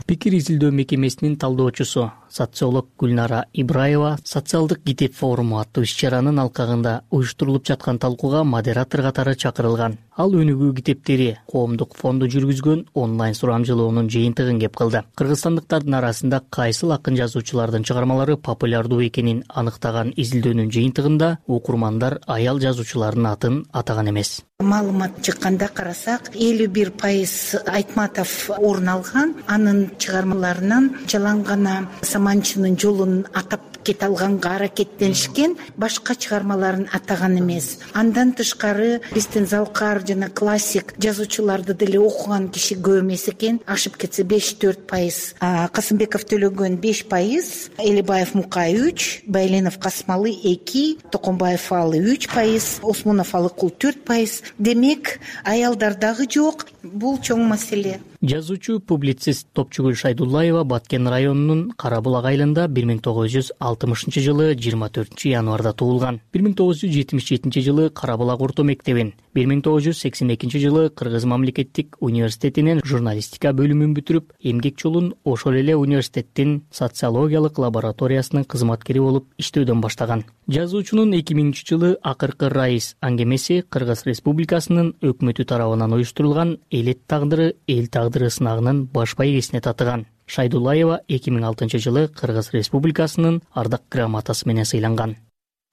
Пикир изилдөө мекемесинин талдоочусу социолог Гүлнара Ибраева социалдык китеп форуму аттуу иш-чаранын алкагында уюштурулуп жаткан талкууга модератор катары чакырылган. Ал өнүгүү китептери коомдук фонду жүргүзгөн онлайн сурамжылоонун жыйынтыгын кеп кылды. Кыргызстандыктардын арасында кайсыл акын жазуучулардын чыгармалары популярдуу экенин аныктаган изилдөөнүн жыйынтыгында окурмандар аял жазуучулардын атын атаган эмес. Маалымат чыкканда карасак, 51% Айтматов орун алган. Анын чыгармаларынан жалаң гана Саманчынын жолун атап кете алганга аракеттенишкен, башка чыгармаларын атаган эмес. Андан тышкары биздин залкар жана классик жазуучуларды деле окуган киши көп эмес экен. Ашып кетсе 5-4%, Касымбеков Төлөгөн 5%, Элибаев Мукай 3%, Байленов Касмалы 2%, Токомбаев Алы 3%, Осмонов Алыкул 4%. Демек, аялдардагы жок, бул чоң маселе. Жазуучу публицист Топчугүл Шайдуллаева Баткен районунун Карабулак айылында 1960 жылы 24 январда туулган. 1977 жылы Карабулак орто мектебин, 1982 жылы Кыргыз мамлекеттик университетинин журналистика бөлүмүн бүтүрүп, эмгек жолун ошол эле университеттин социологиялык лабораториясынын кызматкери болуп иштөөдөн баштаган. Жазуучунун 2000 жылы Акыркы Раис аңгемеси Кыргыз Республикасынын өкмөтү тарабынан уюштурулган Элет тагдыры, эл тагдыры сынагынын баш байгесине татыган. Шайдуллаева 2006 жылы Кыргыз Республикасынын ардак грамотасы менен сыйланган.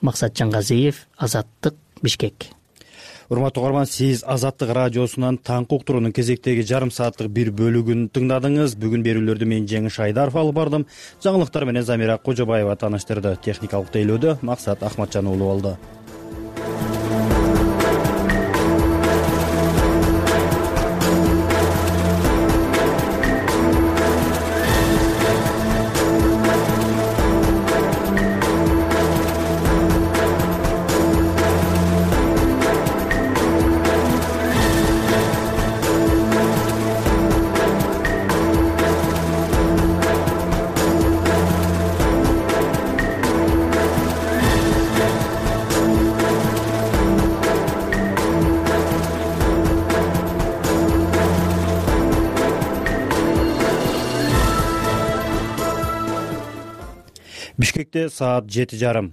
Максат Жангазиев, Азаттык, Бишкек. Урматтуу угарман, сиз Азаттык радиосунан таңкы уктуруунун кезектеги жарым сааттык бир бөлүгүн тыңдадыңыз. Бүгүн берүүлөрдү мен Жеңиш Айдаров алып бардым. Жаңылыктар менен Замира Кожобаева тааныштырды. Техникалык тейлөөдө Максат Ахматжан уулу болду. Бишкекте саат 7:30.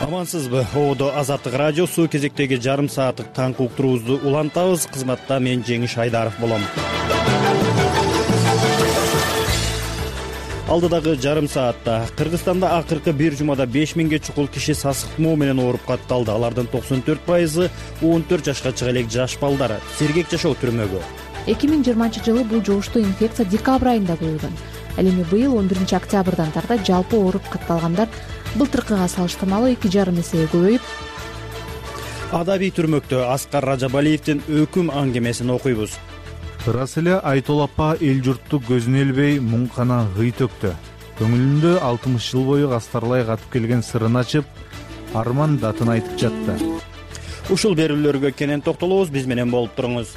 Амансызбы? Оодо Азаттык радиосу кезектеги жарым сааттык таңкы уктуруубузду улантабыз. Кызматта мен Жеңиш Айдаров болом. Алдыдагы жарым саатта Кыргызстанда акыркы бир жумада 5000ге чукул киши сасык тумоо менен ооруп катталды. Алардын 94% 14 жашка чыга элек жаш балдар. Сергек жашоо түрмөгө. 2020-жылы бул жугуштуу инфекция декабрь айында коюлган. Ал эми быйыл 11 октябрдан тарта жалпы ооруп катталгандар былтыркыга салыштырмалуу 2,5 эсеге көбөйүп. Адабий түрмөктө Аскар Ражабалиевдин өкүм аңгемесин окуйбуз. Ырас эле Айтол апа эл журтту көзүнө илбей муң кана гый төктү. Көңүлүндө 60 жыл бою кастарлай катып келген сырын ачып, арман датын айтып жатты. Ушул берүүлөргө кенен токтолобуз, биз менен болуп туруңуз.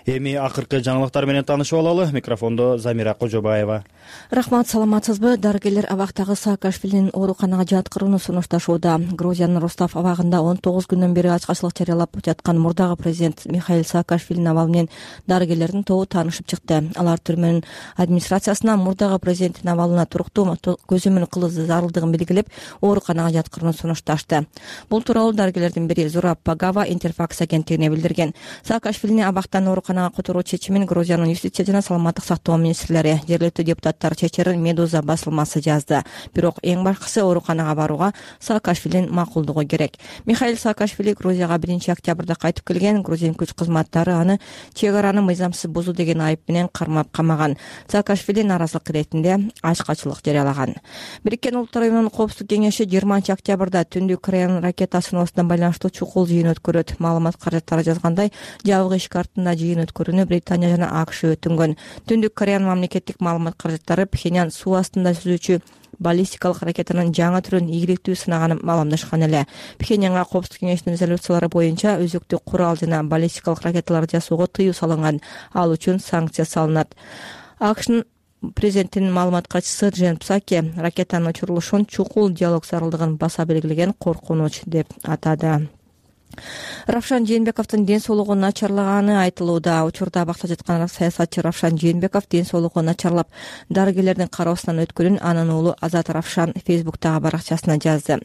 Эми акыркы жаңылыктар менен таанышып алалы. Микрофондо Замира Кожобаева. Рахмат, саламатсызбы? Дарыгерлер абактагы Саакашвилинин ооруканага жаткырууну сунушташууда. Грузиянын Ростов абагында 19 күндөн бери ачкачылык жарыялап жаткан мурдагы президент Михаил Саакашвилинин абалы менен дарыгерлердин тобу таанышып чыкты. Алар түрмөнүн администрациясына мурдагы президенттин абалына туруктуу көзөмөл кылуу зарылдыгын белгилеп, ооруканага жаткырууну сунушташты. Бул тууралуу дарыгерлердин бири Зураб Пагава Интерфакс агенттигине билдирген. Саакашвилини абактан ооруканага которуу чечимин Грузиянын юстиция жана саламаттык сактоо министрлери, жергиликтүү депутаттар чечерин Медуза басылмасы жазды. Бирок эң башкысы ооруканага барууга Саакашвилинин макулдугу керек. Михаил Саакашвили Грузияга 1 октябрда кайтып келген. Грузин күч кызматтары аны чек араны мыйзамсыз бузуу деген айып менен кармап камаган. Саакашвили нааразылык иретинде ачкачылык жарыялаган. Бириккен Улуттар Уюмунун Коопсуздук кеңеши 20 октябрда Түндүк Кореянын ракета сыноосуна байланыштуу чукул жыйын өткөрөт. Маалымат каражаттары жазгандай, жабык эшик артында жыйын өткөрүүнү Британия жана АКШ өтүнгөн. Түндүк Кореянын мамлекеттик маалымат каражаттары Пхеньян суу астында сүзүүчү баллистикалык ракетанын жаңы түрүн ийгиликтүү сынаганын маалымдашкан эле. Пхеньянга Коопсуздук кеңешинин резолюциялары боюнча өзүктүү курал жана баллистикалык ракеталарды жасоого тыюу салынган. Ал үчүн санкция салынат. АКШнын президентинин маалымат катчысы Джен Псаки ракетанын учурулушун чукул диалог зарылдыгын баса белгилеген коркунуч деп атады. Равшан Жээнбековдун ден соолугу начарлаганы айтылууда. Учурда абакта жаткан саясатчы Равшан Жээнбеков ден соолугу начарлап, дарыгерлердин кароосунан өткөнүн анын уулу Азат Равшан Фейсбуктагы баракчасына жазды.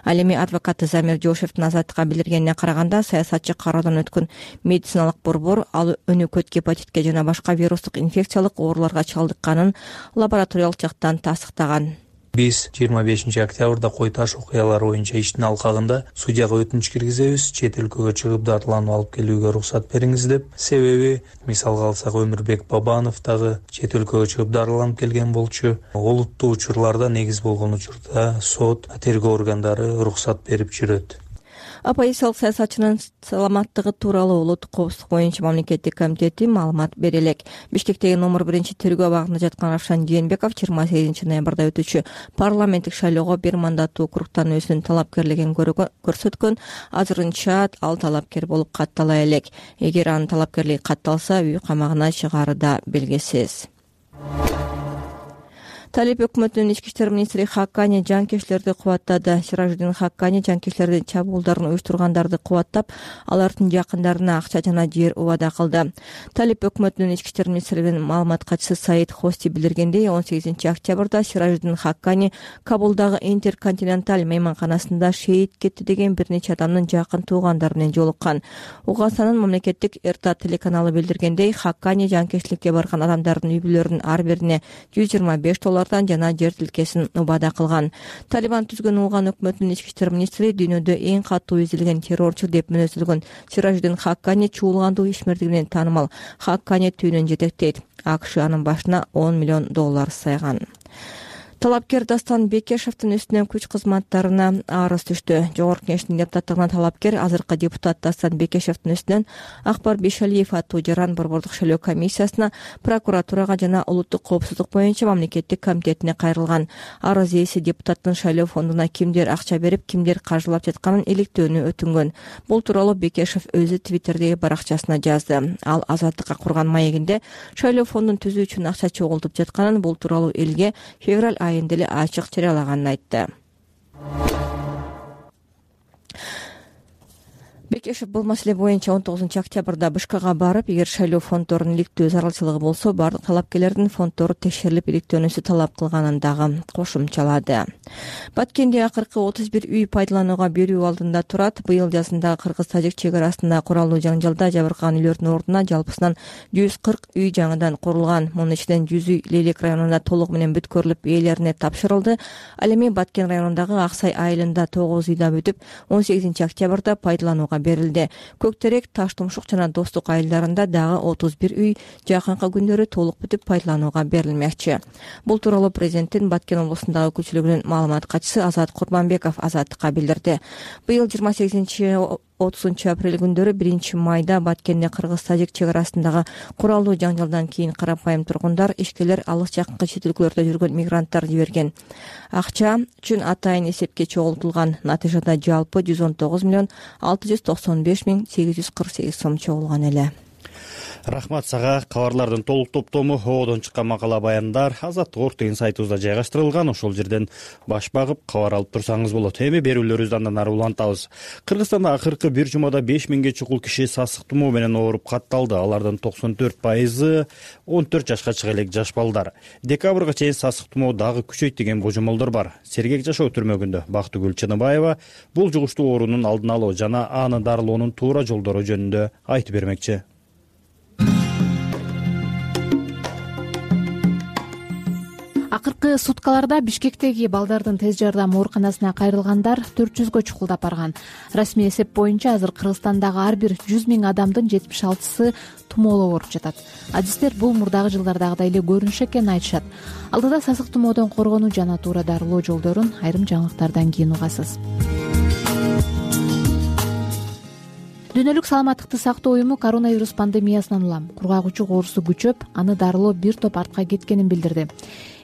Ал эми адвокаты Замир Жошевдин Азаттыкка билдиргенине караганда, саясатчы кароодон өткөн медициналык борбор ал өнөкөт гепатитке жана башка вирустук инфекциялык ооруларга чалдыкканын лабораториялык жактан тастыктаган. Биз 25 октябрда Кой Таш окуялары боюнча иштин алкагында судьяга өтүнүч киргизебиз, чет өлкөгө чыгып дартыланып алып келүүгө уруксат бериңиз деп. Себеби, мисалга алсак, Өмүрбек Бабанов дагы чет өлкөгө чыгып дартыланып келген болчу. Олуттуу учурларда негиз болгон учурда сот, тергөө органдары уруксат берип жүрөт. Оппозициялык саясатчынын саламаттыгы тууралуу Улуттук коопсуздук боюнча мамлекеттик комитети маалымат бере элек. Бишкектеги номер 1 тергөө абагында жаткан Равшан Жээнбеков 28 ноябрда өтүүчү парламенттик шайлоого 1 мандаттуу округтан өзүнүн талапкерлигин көрсөткөн. Азырынча ал талапкер болуп каттала элек. Эгер анын талапкерлиги катталса, үй камагына чыгары да белгисиз. Талип өкмөтүнүн ички иштер министри Хаккани жанкечилерди кубаттады. Сиражиддин Хаккани жанкечилердин чабуулдарын уюштургандарды кубаттап, алардын жакындарына акча жана жер убада кылды. Талип өкмөтүнүн ички иштер министринин маалымат катчысы Саид Хости билдиргендей, 18 октябрда Сиражиддин Хаккани Кабулдагы Интерконтиненталь мейманканасында шейит кетти деген бир нече адамдын жакын туугандары менен жолуккан. Уганстанын мамлекеттик РТ телеканалы билдиргендей, Хаккани жанкечиликке барган адамдардын үй бүлөлөрүнүн ар бирине $125 жана жер тилкесин убада кылган. Талибан түзгөн улган өкмөтүнүн ички иштер министри дүйнөдө эң катуу изилген террорчу деп мүнөздөлгөн Сиражиддин Хаккани чуулгандуу ишмердигинен таанымал. Хаккани түйүнөн жетектейт. АКШ анын башына $10 миллион сайган. Талапкер Дастан Бекешевдин үстүнөн күч кызматтарына арыз түштү. Жогорку кеңештин депутаттыгына талапкер азыркы депутат Дастан Бекешевдин үстүнөн Акбар Бешалиев аттуу жаран борбордук шайлоо комиссиясына, прокуратурага жана Улуттук коопсуздук боюнча мамлекеттик комитетине кайрылган. Арыз ээси депутаттын шайлоо фондуна кимдер акча берип, кимдер каржылап жатканын иликтөөнү өтүнгөн. Бул тууралуу Бекешев өзү Твиттердеги баракчасына жазды. Ал Азаттыкка курган маегинде шайлоо фондун түзүү үчүн акча чогултуп жатканын, бул тууралуу элге февраль айында эле ачык жарыялаганын айтты. эркешев бул маселе боюнча 19-октябрда БШКга барып, эгер шайлоо фонддорунун иликтөө зарылчылыгы болсо, бардык талапкерлердин фонддору текшерилип иликтөөнүсү талап кылганын дагы кошумчалады. Баткенде акыркы 31 үй пайдаланууга берүү алдында турат. Быйыл жазында кыргыз-тажик чек арасында куралдуу жаңжалда жабыркаган үйлөрдүн ордуна жалпысынан 140 үй жаңыдан курулган. Мунун ичинен 100 үй Лейлек районунда толугу менен бүткөрүлүп ээлерине тапшырылды. Ал эми Баткен районундагы Аксай айылында 9 үй да бүтүп, 18-октябрда пайдаланууга берилди. Көктерек, Таштумшук жана Достук айылдарында дагы 31 үй жакынкы күндөрү толук бүтүп пайдаланууга берилмекчи. Бул тууралуу президенттин Баткен облусундагы өкүлчүлүгүнүн маалымат катчысы Азат Курманбеков Азаттыкка билдирди. Быйыл 28-30 апрель күндөрү 1 майда Баткенде кыргыз-тажик чек арасындагы куралдуу жаңжалдан кийин карапайым тургундар, ишкерлер, алыс жакынкы чет өлкөлөрдө жүргөн мигранттар жиберген акча үчүн атайын эсепке чогултулган. Натыйжада жалпы 119,695,848 сом чогулган эле. Рахмат сага. Кабарлардын толук топтому Оодон чыккан макала баяндар Азаттык Орг деген сайтыбызда жайгаштырылган. Ошол жерден баш багып кабар алып турсаңыз болот. Эми берүүлөрүбүздү андан ары улантабыз. Кыргызстанда акыркы бир жумада 5000ге чукул киши сасык тумоо менен ооруп катталды. Алардын 94% 14 жашка чыга элек жаш балдар. Декабрга чейин сасык тумоо дагы күчөйт деген божомолдор бар. Сергек жашоо түрмөгүндө Бактыгүл Чыныбаева бул жугуштуу оорунун алдын алуу жана аны дарылоонун туура жолдору жөнүндө айтып бермекчи. Акыркы суткаларда Бишкектеги балдардын тез жардам ооруканасына кайрылгандар 400гө чукулдап барган. Расмий эсеп боюнча азыр Кыргызстандагы ар бир 100 000 адамдын 76сы тумоолуу ооруп жатат. Адистер бул мурдагы жылдардагыдай эле көрүнүш экенин айтышат. Алдыда сасык тумоодон коргонуу жана туура дарылоо жолдорун айрым жаңылыктардан кийин угасыз. Дүйнөлүк саламаттыкты сактоо уюму коронавирус пандемиясынан улам кургагучук оорусу күчөп, аны дарылоо бир топ артка кеткенин билдирди.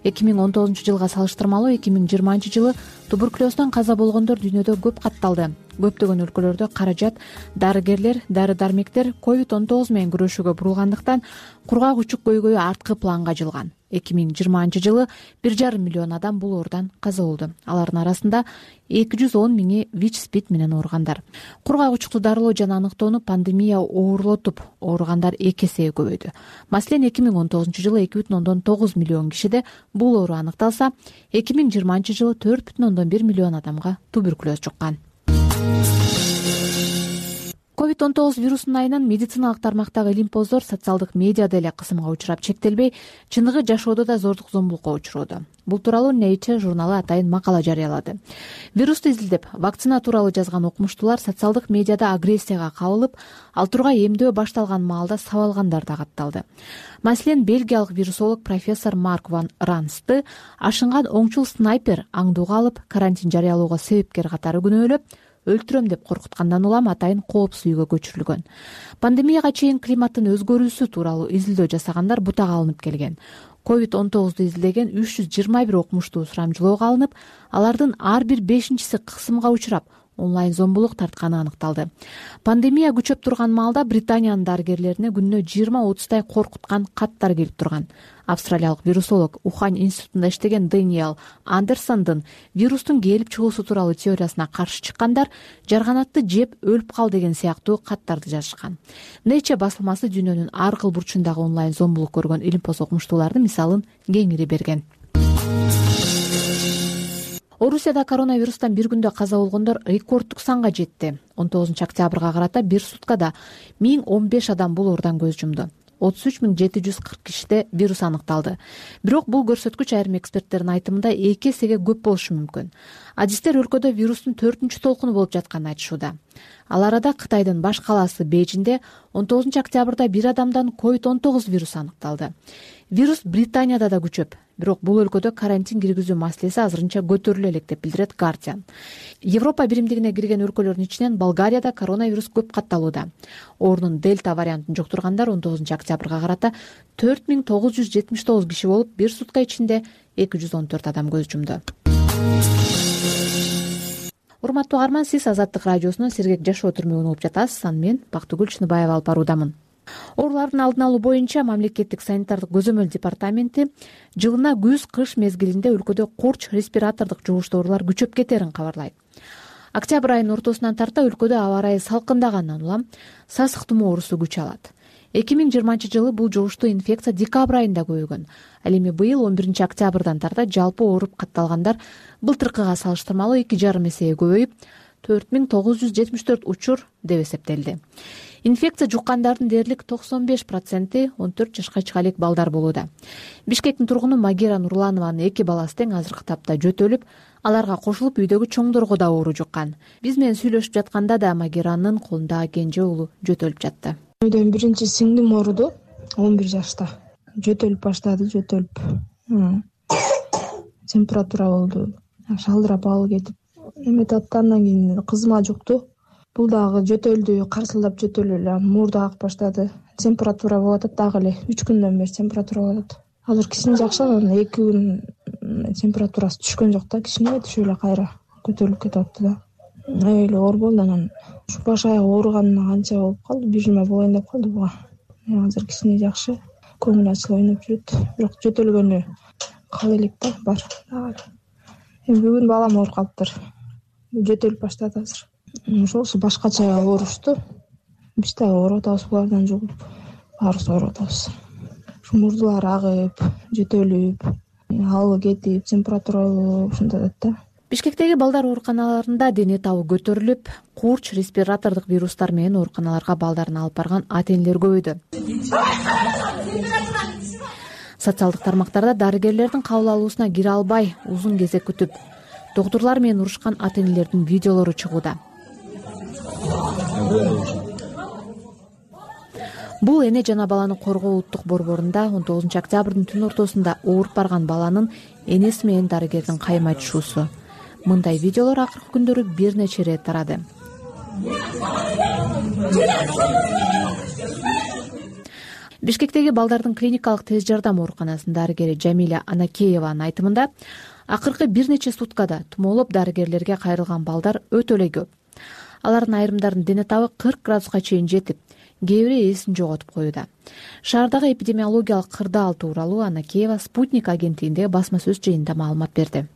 2019-жылга салыштырмалуу 2020 жылы туберкулездон каза болгондор дүйнөдө көп катталды. Көптөгөн өлкөлөрдө каражат дарыгерлер, дары-дармектер COVID-19 менен күрөшүүгө бурулгандыктан кургагучук көйгөйү арткы планга жылган. 2020 жылы 1,5 миллион адам бул оордан каза болду. Алардын арасында 210 миңи ВИЧ-СПИД менен ооругандар. Кургагучукту дарылоо жана аныктоону пандемия оорлотуп, ооругандар 2 эсеге көбөйдү. Маселен, 2019 жылы 2,9 миллион кишиде бул оору аныкталса, 2020 жылы 4,1 миллион адамга туберкулез жуккан. COVID-19 вирусунун айынан медициналык тармактагы илимпоздор социалдык медиада эле кысымга учурап чектелбей, чыныгы жашоодо да зордук зомбулукка учуроодо. Бул тууралуу Nature журналы атайын макала жарыялады. Вирусту изилдеп, вакцина тууралуу жазган окумуштуулар социалдык медиада агрессияга кабылып, ал турга эмдөө башталган маалда сабалгандар да катталды. Маселен, бельгиялык вирусолог профессор Марк ван Рансты ашынган оңчул снайпер аңдууга алып, карантин жарыялоого себепкер катары күнөөлөп, өлтүрөм деп коркуткандан улам атайын коопсуз үйгө көчүрүлгөн. Пандемияга чейин климаттын өзгөрүүсү тууралуу изилдөө жасагандар бутага алынып келген. COVID-19 изилдеген 321 окумуштуу сурамжылоого алынып, алардын ар бир 5-чиси кысымга учурап, онлайн зомбулук тартканы аныкталды. Пандемия күчөп турган маалда Британиянын дарыгерлерине күнүнө 20-30 коркуткан каттар келип турган. Австралиялык вирусолог Ухань институтунда иштеген Дэниел Андерсондун вирустун келип чыгуусу тууралуу теориясына каршы чыккандар жарганатты жеп өлүп кал деген сыяктуу каттарды жазышкан. Nature басылмасы дүйнөнүн ар кыл бурчундагы онлайн зомбулук көргөн илимпоз окумуштуулардын мисалын кеңири берген. Орусияда коронавирустан бир күндө каза болгондор рекорддук санга жетти. 19-октябрга карата бир суткада 1015 адам бул оордан көз жумду. 33,740 кишиде вирус аныкталды. Бирок бул көрсөткүч айрым эксперттердин айтымында 2 эсеге көп болушу мүмкүн. Адистер өлкөдө вирустун 4-чү толкуну болуп жатканын айтышууда. Ал арада Кытайдын баш калаасы Бейжиңде 19-октябрда бир адамдан COVID-19 вирусу аныкталды. Вирус Британияда да күчөп, бирок бул өлкөдө карантин киргизүү маселеси азырынча көтөрүлө элек деп билдирет Guardian. Европа биримдигине кирген өлкөлөрдүн ичинен Болгарияда коронавирус көп катталууда. Оорунун дельта вариантын жуктургандар 19-октябрга карата 4979 киши болуп, бир сутка ичинде 214 адам көз жумду. Урматтуу угарман, сиз Азаттык радиосунун Сергек жашоо түрмөгүн угуп жатасыз. Аны мен Бактыгүл Чыныбаева алып баруудамын. Оорулардын алдын алуу боюнча мамлекеттик санитардык көзөмөл департаменти жылына күз-кыш мезгилинде өлкөдө курч респиратордук жугуштуу оорулар күчөп кетерин кабарлайт. Октябрь айынын ортосунан тарта өлкөдө аба ырайы салкындагандан улам сасык тумоо оорусу күч алат. 2020 бул жугуштуу инфекция декабрь айында көбөйгөн. Ал эми быйыл 11 октябрдан тарта жалпы ооруп катталгандар былтыркыга салыштырмалуу 2,5 эсеге көбөйүп 4974 учур деп эсептелди. Инфекция жуккандардын дээрлик 95% 14 жашка чыга элек балдар болууда. Бишкектин тургуну Магира Нурланованын 2 баласы тең азыркы тапта жөтөлүп, аларга кошулуп үйдөгү чоңдорго да оору жуккан. Биз менен сүйлөшүп жатканда да Магиранын колундагы кенже уулу жөтөлүп жатты. Үйдөн биринчи сиңдим ооруду 11 жашта. Жөтөлүп баштады, температура болду. Шалдырап алып кетип, эметип аткандан кийин кызыма жукту. Бул дагы жөтөлдү, карсылдап жөтөлүп, мурду агып баштады. Температура болуп атат дагы эле. 3 күндөн бери температура болуп атат. Азыр кичине жакшы, 2 күн температурасы түшкөн жок да, кичине түшүп эле кайра көтөрүлүп кетип атты да. Эле оор болду, анан баш аяк ооруганына канча болуп калды, 1 жума болоюн деп калды буга. Азыр кичине жакшы, көңүл ачылып ойноп жүрөт. Бирок жөтөлгөнү кала элек да, бар. Эми бүгүн балам ооруп калыптыр. Жөтөлүп баштады азыр. Ошосу башкача оорушту. Биз да ооруп атабыз, булардан жугуп, баарыбыз ооруп атабыз. Мурдулар агып, жөтөлүп, алып кетип, температура ушундай да. Бишкектеги балдар ооруканаларында дене табы көтөрүлүп, курч, респиратордук вирустар менен ооруканаларга балдарын алып барган ата-энелер көбөйдү. Социалдык тармактарда дарыгерлердин кабыл алуусуна кире албай, узун кезек күтүп, доктурлар менен урушкан ата-энелердин видеолору чыгууда. Бул эне жана баланы коргоо улуттук борборунда 19 октябрдын түн ортосунда ооруп барган баланын энеси менен дарыгердин кайым айтышуусу. Мындай видеолор акыркы күндөрү бир нече ирет тарады. Бишкектеги балдардын клиникалык тез жардам ооруканасынын дарыгери Жамиля Анакееванын айтымында, акыркы бир нече суткада тумоолоп дарыгерлерге кайрылган балдар өтө эле көп. Алардын айрымдарынын дене табы 40 градуска чейин жетип, кээ бири эсин жоготуп коюуда. Шаардагы эпидемиологиялык кырдаал тууралуу Анакеева Спутник агенттигиндеги басма сөз жыйынында маалымат берди.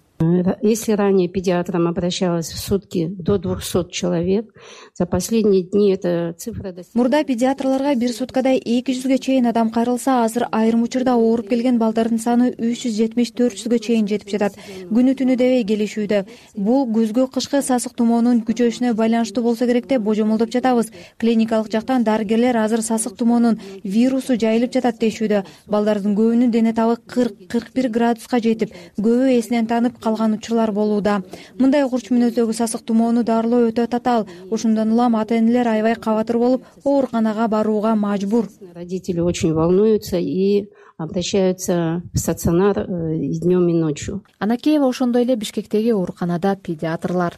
Если ранее педиатрам обращалось в сутки до 200 человек, за последние дни эта цифра достигла. Мурда педиатрларга бир суткада 200ге чейин адам кайрылса, азыр айрым учурда ооруп келген балдардын саны 370-400ге чейин жетип жатат. Күнү түнү дебей келишүүдө. Бул күзгү кышкы сасык тумоонун күчөшүнө байланыштуу болсо керек деп божомолдоп жатабыз. Клиникалык жактан дарыгерлер азыр сасык тумоонун вирусу жайылып жатат дешүүдө. Балдардын көбүнүн дене табы 40-41 градуска жетип, көбү эсинен танып калган учурлар болууда. Мындай курч мүнөздөгү сасык тумоону дарылоо өтө татаал. Ошондон улам ата-энелер аябай кабатыр болуп, ооруканага барууга мажбур. Родители очень волнуются и обращаются в стационар днем и ночью. Анакеева ошондой эле Бишкектеги ооруканада педиатрлар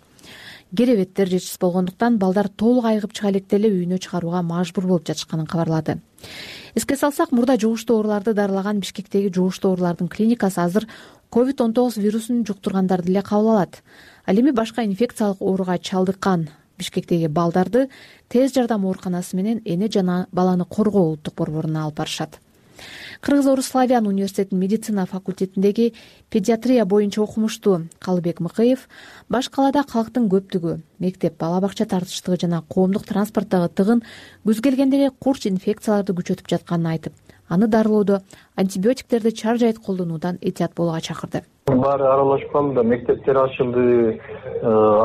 керебеттер жетишсиз болгондуктан балдар толук айыгып чыга электе эле үйүнө чыгарууга мажбур болуп жатышканын кабарлады. Эске салсак, мурда жугуштуу ооруларды дарылаган Бишкектеги жугуштуу оорулардын клиникасы азыр COVID-19 вирусун жуктургандарды эле кабыл алат. Ал эми башка инфекциялык ооруга чалдыккан Бишкектеги балдарды тез жардам ооруканасы менен эне жана баланы коргоо улуттук борборуна алып барышат. Кыргыз-Орус Славян университетинин медицина факультетиндеги педиатрия боюнча окумуштуу Калыбек Мыкыев баш калаада калктын көптүгү, мектеп, бала бакча тартыштыгы жана коомдук транспорттогу тыгын күз келгенде эле курч инфекцияларды күчөтүп жатканын айтып, аны дарылоодо антибиотиктерди чаржайыт колдонуудан этият болууга чакырды. Баары аралашып калды да, мектептер ачылды,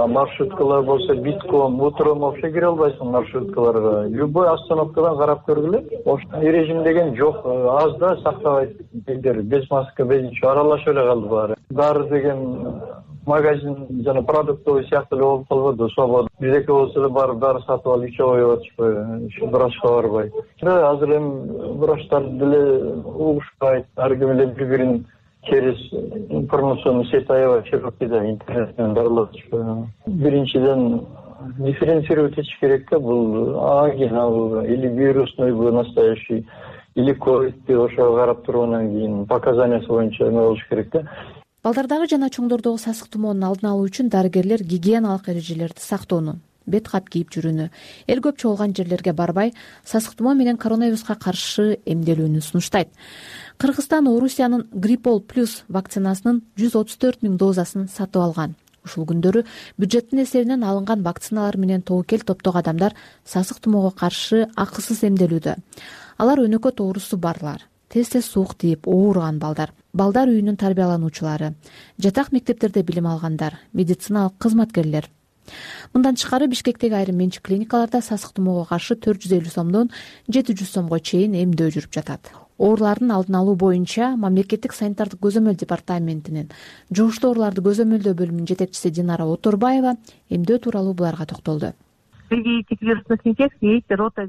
маршруткалар болсо битком, утром вообще кире албайсың маршруткаларга. Любой остановкадан карап көргүлө. Ошол режим деген жок, аз да сактабайт элдер, без маска, без ничего аралашып эле калды баары. Дары деген магазин жана продуктовый сыяктуу эле болуп калбады, свобода. Биздеки болсо эле барып дары сатып алып ичип коюп атышпайбы, врачка барбай. Азыр эми врачтар деле угушпайт, ар ким эле бири-бирин через информационную сеть аябай широкийда интернет менен дарылатышпайбы. Биринчиден дифференцировать этиш керек да, бул ангина или вирусныйбы настоящий, или ковидти ошого карап тургандан кийин показаниясы боюнча эме болуш керек да. Балдардагы жана чоңдордогу сасык тумоонун алдын алуу үчүн дарыгерлер гигиеналык эрежелерди сактоону, бет кат кийип жүрүүнү, эл көп чогулган жерлерге барбай, сасык тумоо менен коронавируска каршы эмделүүнү сунуштайт. Кыргызстан Орусиянын Гриппол плюс вакцинасынын 134 000 дозасын сатып алган. Ушул күндөрү бюджеттин эсебинен алынган вакциналар менен тобокел топтогу адамдар сасык тумоого каршы акысыз эмделүүдө. Алар өнөкөт оорусу барлар, тез суук тийип ооруган балдар үйүнүн тарбиялануучулары, жатак мектептерде билим алгандар, медициналык кызматкерлер. Мындан тышкары Бишкектеги айрым менчик клиникаларда сасык тумоого каршы 450 сомдон 700 сомго чейин эмдөө жүрүп жатат. Оорулардын алдын алуу боюнча мамлекеттик санитардык көзөмөл департаментинин жугуштуу ооруларды көзөмөлдөө бөлүмүнүн жетекчиси Динара Оторбаева эмдөө тууралуу буларга токтолду.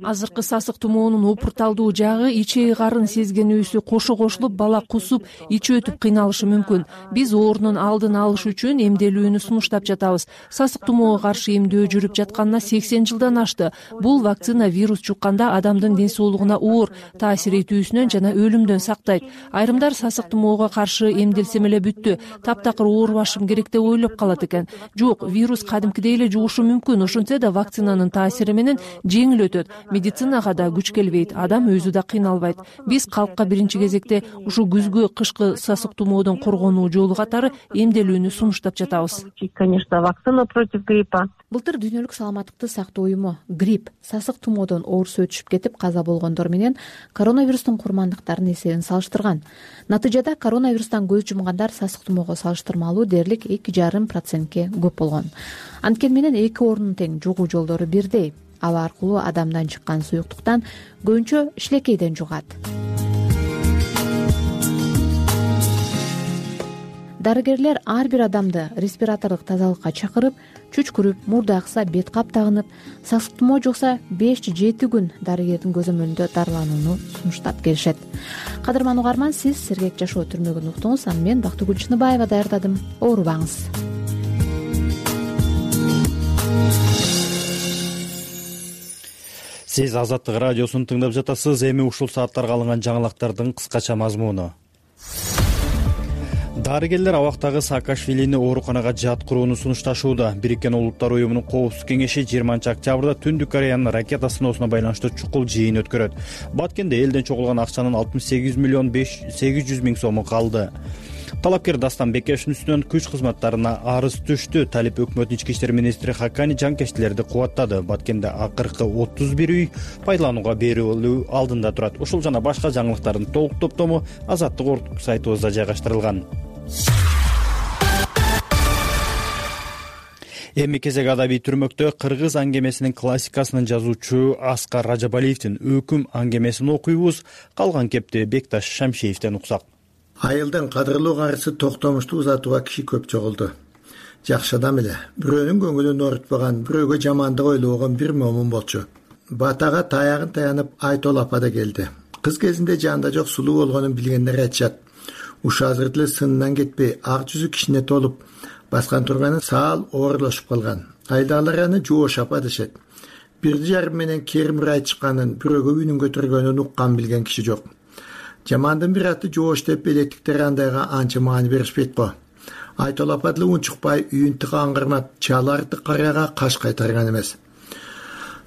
Азыркы сасык тумоонун опурталдуу жагы ичеги карын сезгенүүсү кошулуп бала кусуп, ичи өтүп кыйналышы мүмкүн. Биз оорунун алдын алыш үчүн эмделүүнү сунуштап жатабыз. Сасык тумоого каршы эмдөө жүрүп жатканына 80 жылдан ашты. Бул вакцина вирус жукканда адамдын ден соолугуна оор таасир этүүсүнөн жана өлүмдөн сактайт. Айрымдар сасык тумоого каршы эмделсем эле бүттү, таптакыр оорубашым керек деп ойлоп калат экен. Жок, вирус кадимкидей эле жугушу мүмкүн. Ошентсе да вакцинанын таасири менен жеңил өтөт. Медицинага да күч келбейт, адам өзү да кыйналбайт. Биз калкка биринчи кезекте ушу күзгү кышкы сасык тумоодон коргонуу жолу катары эмделүүнү сунуштап жатабыз. Конечно, вакцина против гриппа. Былтыр Дүйнөлүк саламаттыкты сактоо уюму грипп, сасык тумоодон оорусу өтүшүп кетип каза болгондор менен коронавирустун курмандыктарынын эсебин салыштырган. Натыйжада коронавирустан көз жумгандар сасык тумоого салыштырмалуу дээрлик 2,5% көп болгон. Анткени менен эки оорунун тең жугуу жолдору бирдей. Аба аркылуу адамдан чыккан суюктуктан көбүнчө ишлекейден жугат. Дарыгерлер ар бир адамды респиратордук тазалыкка чакырып, чүчкүрүп, мурду акса бет кап тагынып, сасык тумоо жукса 5-7 күн дарыгердин көзөмөлүндө дарыланууну сунуштап келишет. Кадырман угарман, сиз Сергек жашоо түрмөгүн уктуңуз. Аны мен Бактыгүл Чыныбаева даярдадым. Оорубаңыз. Сиз Азаттык радиосун тыңдап жатасыз. Эми ушул сааттарга алынган жаңылыктардын кыскача мазмуну. Дарыгерлер абактагы Саакашвилини ооруканага жаткырууну сунушташууда. Бириккен Улуттар уюмунун коопсуздук кеңеши 20 октябрда Түндүк Кореянын ракета сыноосуна байланыштуу чукул жыйын өткөрөт. Баткенде элден чогулган акчанын 68 миллион 800 миң сому калды. Талапкер Дастан Бекешевдин үстүнөн күч кызматтарына арыз түштү. Талип өкмөттүн ички иштер министри Хакани жанкечтилерди кубаттады. Баткенде акыркы 31 үй пайдаланууга берилүү алдында турат. Ушул жана башка жаңылыктардын толук топтому Азаттык орг сайтыбызда жайгаштырылган. Эми кезек адабий түрмөктө кыргыз аңгемесинин классикасынын жазуучу Аскар Ражабалиевдин өкүм аңгемесин окуйбуз. Калган кепти Бекташ Шамшиевден уксак. Айылдын кадырлуу карысы Токтомушту узатууга киши көп чогулду. Жакшы адам эле, бирөөнүн көңүлүн оорутпаган, бирөөгө жамандык ойлобогон бир момун болчу. Батага таягын таянып Айтол апа да келди. Кыз кезинде жанында жок сулуу болгонун билгендер айтышат. Ушу азыр деле сынынан кетпей, ак жүзү кишине толуп, баскан турганы саал оорулашып калган. Айдалар аны Жоош апа дешет. Бирди жарым менен Керимир айтышканын, бирөөгө үйүнүн көтөргөнүн уккан билген киши жок. Жамандын бир аты Жоош деп электиктер андайга анча маани беришпейт го. Айтол апа деле унчукпай үйүн тыга аңгырмап, чаларды карыяга каш кайтарган эмес.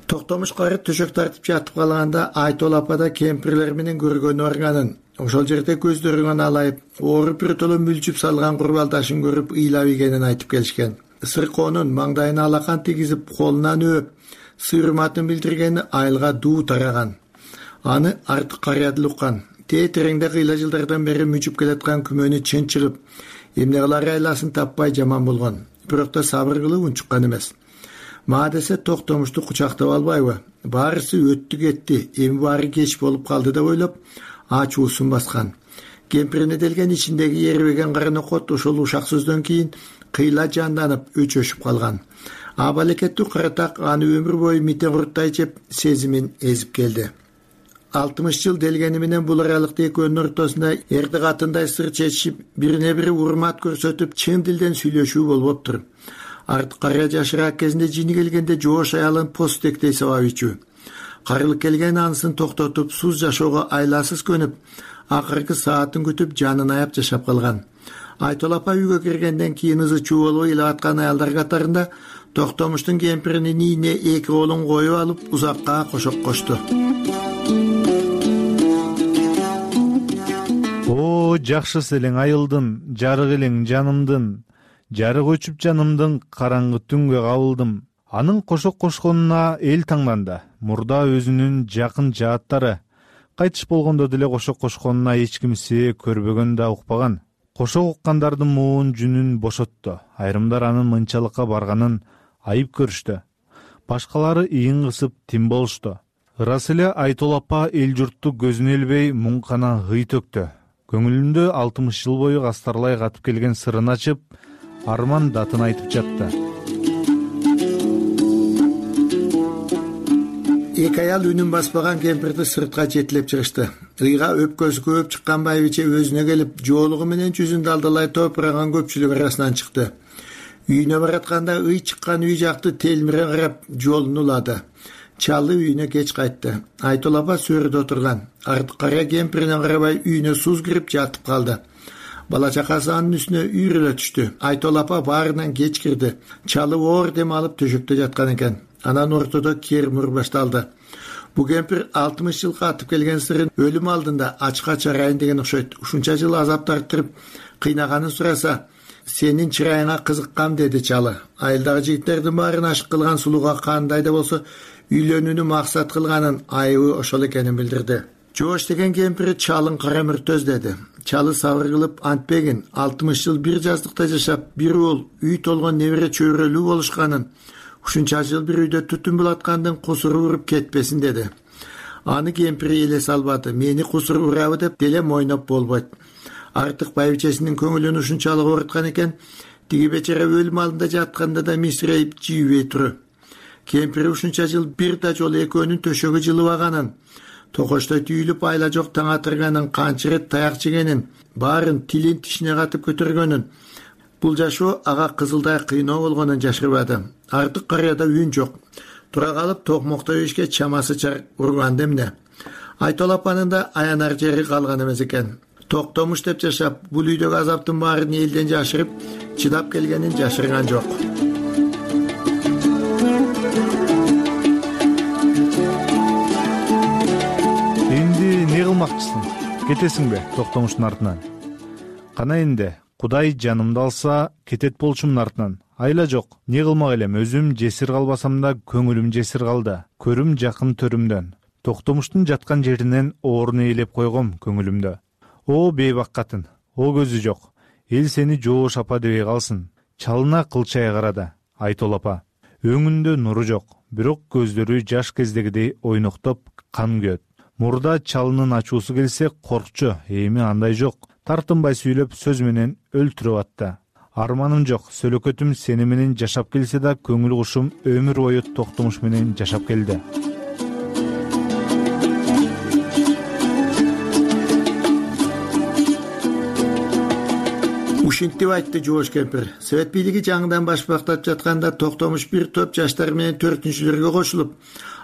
Токтомуш кары төшөк тартып жатып калганда Айтол апа да кемпирлер менен көргөнү барганын, ошол жерде көздөрүн алайып, ооруп бир толо мүлчүп салган курбалдашын көрүп ыйлап ийгенин айтып келишкен. Сыркоонун маңдайына алакан тийгизип, колунан өөп, сыйырматын билдиргени айылга дуу тараган. Аны артык карыядыл уккан. Тереңде кыйла жылдардан бери мүчүп келаткан күмөнү чынчылып, эмне кылар айласын таппай жаман болгон. Бирок да сабыр кылып унчуккан эмес. Мага десе Токтомушту кучактап албайбы? Баарысы өттү кетти, эми баары кеч болуп калды деп ойлоп, ачуусун баскан. Кемпирине делген ичиндеги эрбеген каранокот ошол ушак сөздөн кийин кыйла жанданып, өчөшүп калган. Абалекеттүү каратак аны өмүр бою митен куруттай жеп, сезимин эзип келди. 60 жыл делгени менен бул аралыкта экөөнүн ортосунда эрди катындай сыр чечишип, бирине бири урмат көрсөтүп, чын дилден сүйлөшүү болуптур. Артык карыя жашыраак кезинде жини келгенде Жоош аялын постектей сабап ичүү. Карылык келген анысын токтотуп, суз жашоого айласыз көнүп, акыркы саатын күтүп, жанын аяп жашап калган. Айтол апа үйгө киргенден кийин ызы чуу болуп ыйлап аткан аялдар катарында Токтомуштун кемпиринин ийине эки колун коюп алып, узакка кошок кошту. О, жакшысы элең айылдын, жарык элең жанымдын, жарык өчүп жанымдын караңгы түнгө кабылдым. Анын кошок кошконуна эл таңданды. Мурда өзүнүн жакын жааттары кайтыш болгондо деле кошок кошконуна эч ким себеп көрбөгөн да укпаган. Кошок уккандардын муун жүнүн бошотту. Айрымдар анын мынчалыкка барганын айып көрүштү. Башкалары ийин кысып тим болушту. Ырас эле Айтол апа эл журтту көзүнө илбей муң гана ый төктү. Көңүлүндө 60 жыл бою кастарлай катып келген сырын ачып, арман датын айтып жатты. Эки аял үнүн баспаган кемпирди сыртка жетелеп чыгышты. Ыйга өпкөсү көп чыккан байбиче өзүнө келип, жоолугу менен жүзүн далдалай топураган көпчүлүк арасынан чыкты. Үйүнө баратканда ый чыккан үй жакты телмире карап жолун улады. Чалы үйүнө кеч кайтты. Айтол апа сөрүдө отурган. Кара кемпирине карабай үйүнө суз кирип жатып калды. Бала чакасы анын үстүнө үйрөлө түштү. Айтол апа баарынан кеч кирди. Чалы оор дем алып төшөктө жаткан экен. Анан ортодо кермур башталды. Бу кемпир 60 жыл катып келген сырын өлүм алдында ачка чарайын деген окшойт. Ушунча жыл азап тартырып кыйнаганын сураса, сенин чырайыңа кызыккам деди чалы. Айылдагы жигиттердин баарын ашык кылган сулууга кандай да болсо үйлөнүүнү максат кылганын айыбы ошол экенин билдирди. Жоош деген кемпири чалын кара мүртөз деди. Чалы сабыр кылып антпегин 60 жыл бир жаздыкта жашап, бир уул үй толгон небере чөйрөлүү болушканын, ушунча жыл бир үйдө түтүн булаткандын кусуру уруп кетпесин деди. Аны кемпири эле салбады. Мени кусур урабы деп деле мойноп болбойт. Артык байбичесинин көңүлүн ушунчалык ооруткан экен, тиги бечара өлүм алдында жатканда да мисирейип жийбей туру. Кемпири ушунча жыл бир да жолу экөөнүн төшөгү жылыбаганын, токочтой түйүлүп айла жок таң атырганын, канча ирет таяк жегенин, баарын тилин тишине катып көтөргөнүн, бул жашоо ага кызылдай кыйноо болгонун жашырбады. Артык карыяда үн жок. Тура калып токмокто ишке чамасы чар урганда эмне. Айтол апанын да аянар жери калган эмес экен. Токтомуш деп жашап, бул үйдөгү азаптын баарын элден жашырып, чыдап келгенин жашырган жок. Эмди эмне кылмакчысың? Кетесиңби Токтомуштун артынан? Кана энди, Кудай жанымды алса, кетет болчумун артынан. Айла жок, не кылмак элем, өзүм жесир калбасам да көңүлүм жесир калды. Көрүм жакын төрүмдөн. Токтомуштун жаткан жеринен орун ээлеп койгом көңүлүмдө. О бейбак катын, о көзү жок. Эл сени жоош апа дебей калсын. Чалына кылчай карады. Айтол апа. Өңүндө нуру жок, бирок көздөрү жаш кездегидей ойноктоп кан күйөт. Мурда чалынын ачуусу келсе коркчу, эми андай жок. Тартынбай сүйлөп сөз менен өлтүрүп атты. Арманым жок, сөлөкөтүм сени менен жашап келсе да көңүл кушум өмүр бою Токтомуш менен жашап келди. Ушинтип айтты жоош кемпир. Совет бийлиги жаңыдан башбактап жатканда Токтомуш бир топ жаштар менен 4-күчүлөргө кошулуп,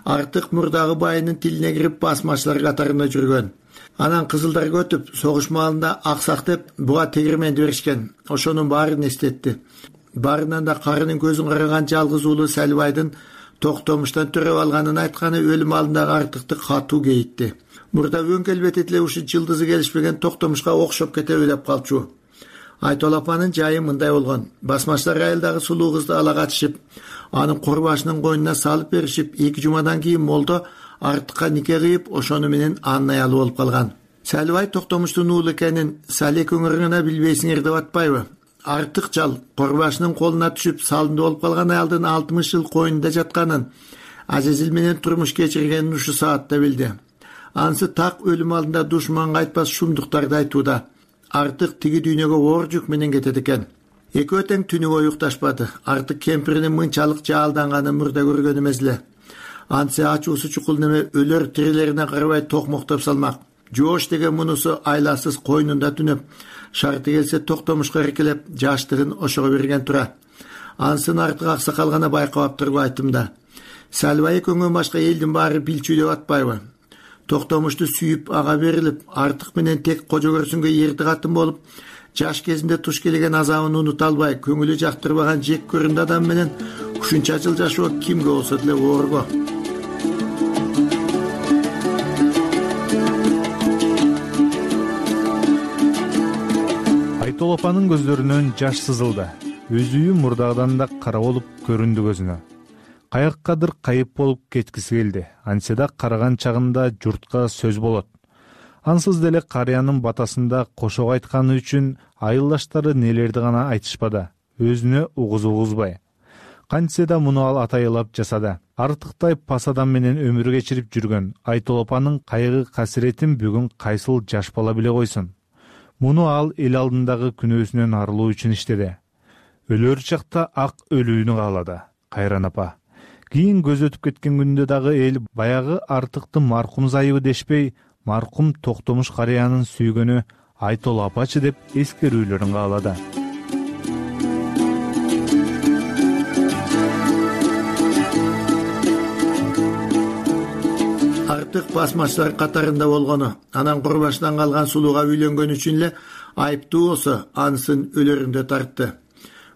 артык мурдагы байынын тилине кирип басмачылар катарында жүргөн. Анан кызылдарга өтүп, согуш маалында аксак деп буга тегирменди беришкен. Ошонун баарын эстетти. Баарынан да карынын көзүн караган жалгыз уулу Салбайдын Токтомуштан төрөп алганын айтканы өлүм алдындагы артыкты катуу кейитти. Мурда өң келбети деле ушу жылдызы келишпеген Токтомушка окшоп кетеби деп калчу. Айтол апанын жайы мындай болгон. Басмачылар айылдагы сулуу кызды ала качышып, анын курбашынын койнуна салып беришип, 2 жумадан кийин молдо артыкка нике кыйып, ошону менен анын аялы болуп калган. Салбай Токтомуштун уулу экенин Салек өңүрүнө билбейсиңер деп атпайбы? Артык чал курбашынын колуна түшүп, салынды болуп калган аялдын 60 жыл койнунда жатканын, Азизил менен турмуш кечиргенин ушу саатта билди. Анысы так өлүм алдында душманга айтпас шумдуктарды айтууда. Артык тиги дүйнөгө оор жүк менен кетет экен. Экөө тең түнү бою укташпады. Артык кемпиринин мынчалык жаалданганын мурда көргөн эмес эле. Ансы ачуусу чукул неме өлөр тирилерине карабай токмоктоп салмак. Жоош деген мунусу айласыз койнунда түнөп, шарты келсе Токтомушка эркелеп, жаштыгын ошого берген тура. Ансын артык аксакал гана байкап тургу айтымда. Салбай экөөңөн башка элдин баары билчү деп атпайбы? Токтомушту сүйүп ага берилип, артык менен тек кожо көрсүнгө эрди катын болуп, жаш кезинде туш келген азабын унута албай, көңүлү жактырбаган жек көрүндү адам менен ушунча жыл жашоо кимге болсо деле оорго. Айтол апанын көздөрүнөн жаш сызылды. өз үйү мурдагыдан да кара болуп көрүндү көзүнө. Каяктадыр кайып болуп кеткиси келди. Антсе да караган чагында журтка сөз болот. Ансыз деле карыянын батасында кошок айтканы үчүн айылдаштары нелерди гана айтышпады, өзүнө угузбай. Кантсе да муну ал атайылап жасады. Артыктай пас адам менен өмүр кечирип жүргөн Айтол апанын кайгы касиретин бүгүн кайсыл жаш бала биле койсун. Муну ал эл алдындагы күнөөсүнөн арылуу үчүн иштеди. Өлөр чакта ак өлүүнү каалады. Кайран апа. Кийин көз өтүп кеткен күндө дагы эл баягы Артыкты маркум зайыбы дешпей, маркум Токтомуш карыянын сүйгөнү Айтол апачы деп эскерүүлөрүн каалады. Артык басмачылар катарында болгону, анан курбашынан калган сулууга үйлөнгөн үчүн эле айыптуу болсо, анысын өлөрүндө тартты.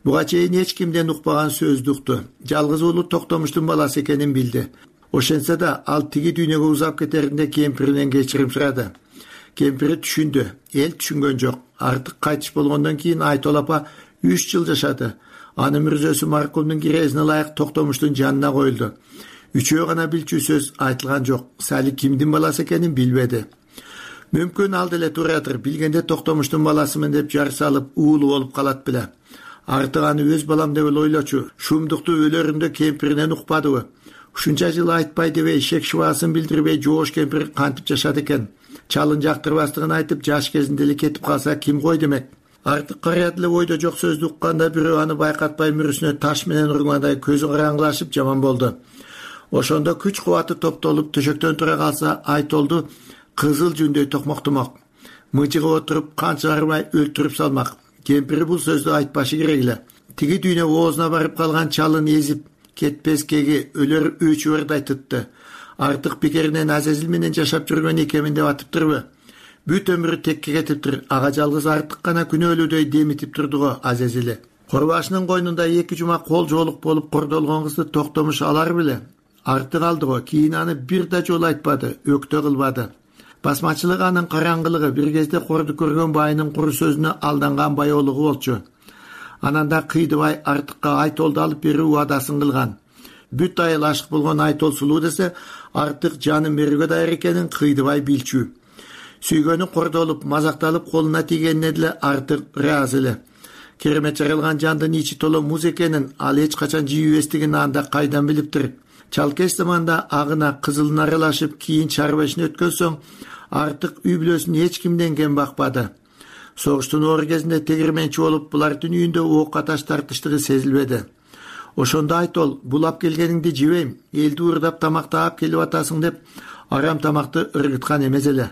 Буга чейин эч кимден укпаган сөздү укту. Жалгыз уулу Токтомуштун баласы экенин билди. Ошентсе да ал тиги дүйнөгө узап кетеринде кемпиринен кечирим сурады. Кемпири түшүндү, эл түшүнгөн жок. Артык кайтыш болгондон кийин Айтол апа 3 жыл жашады. Анын мүрзөсү маркумдун кирезине ылайык Токтомуштун жанына коюлду. Үчөө гана билчү сөз айтылган жок. Сали кимдин баласы экенин билбеди. Мүмкүн ал деле туратыр, билгенде Токтомуштун баласымын деп жар салып уулу болуп калат беле. Артык аны өз балам деп ойлочу. Шумдукту өлөрүндө кемпиринен укпадыбы? Ушунча жыл айтпай дебей, шек шыбаасын билдирбей жоош кемпир кантип жашады экен? Чалын жактырбастыгын айтып, жаш кезинде эле кетип калса ким кой демек? Артык карыят эле ойдо жок сөздү укканда бирөө аны байкатпай мүрүсүнө таш менен ургандай көзү караңгылашып жаман болду. Ошондо күч кубаты топтолуп төшөктөн тура калса, Айтолду кызыл жүндөй токмоктомок. Мыжыгып отуруп канча арбай өлтүрүп салмак. Кемпири бул сөздү айтпашы керек эле. Тиги дүйнө оозуна барып калган чалын езип кетпескеги өлөр өчүбөрдай тытты. Артык пикеринен Азазил менен жашап жүргөн экемин деп атыптырбы? Бүт өмүрү текке кетиптир. Ага жалгыз Артык гана күнөөлүүдөй демитип турду го Азазили. Курбашынын койнунда 2 жума кол жоолук болуп кордолгон кызды Токтомуш алар беле? Артык алды го, кийин аны бир да жолу айтпады, өктө кылбады. Басмачылык анын караңгылыгы, бир кезде корду көргөн байынын куру сөзүнө алданган байоолугу болчу. Анан да кыйдыбай Артыкка Айтолду алып берүү убадасын кылган. Бүт айыл ашык болгон Айтол сулуу десе, Артык жанын берүүгө даяр экенин кыйдыбай билчү. Сүйгөнү кордолуп, мазакталып колуна тийгенине деле Артык ыраазы эле. Керемет жаралган жандын ичи толо муз экенин ал эч качан жийип эстеген анда кайдан билиптир? Чалкеш заманда агына кызылын аралашып, кийин чарбашын өткөн соң, Артык үй бүлөсүн эч кимден кем бакпады. Согуштун оор кезинде тегирменчи болуп, булардын үйүндө ок аташ тартыштыгы сезилбеди. Ошондо Айтол, булап келгениңди жебейм, элди уурдап тамактап келип атасың деп, арам тамакты ыргыткан эмес эле.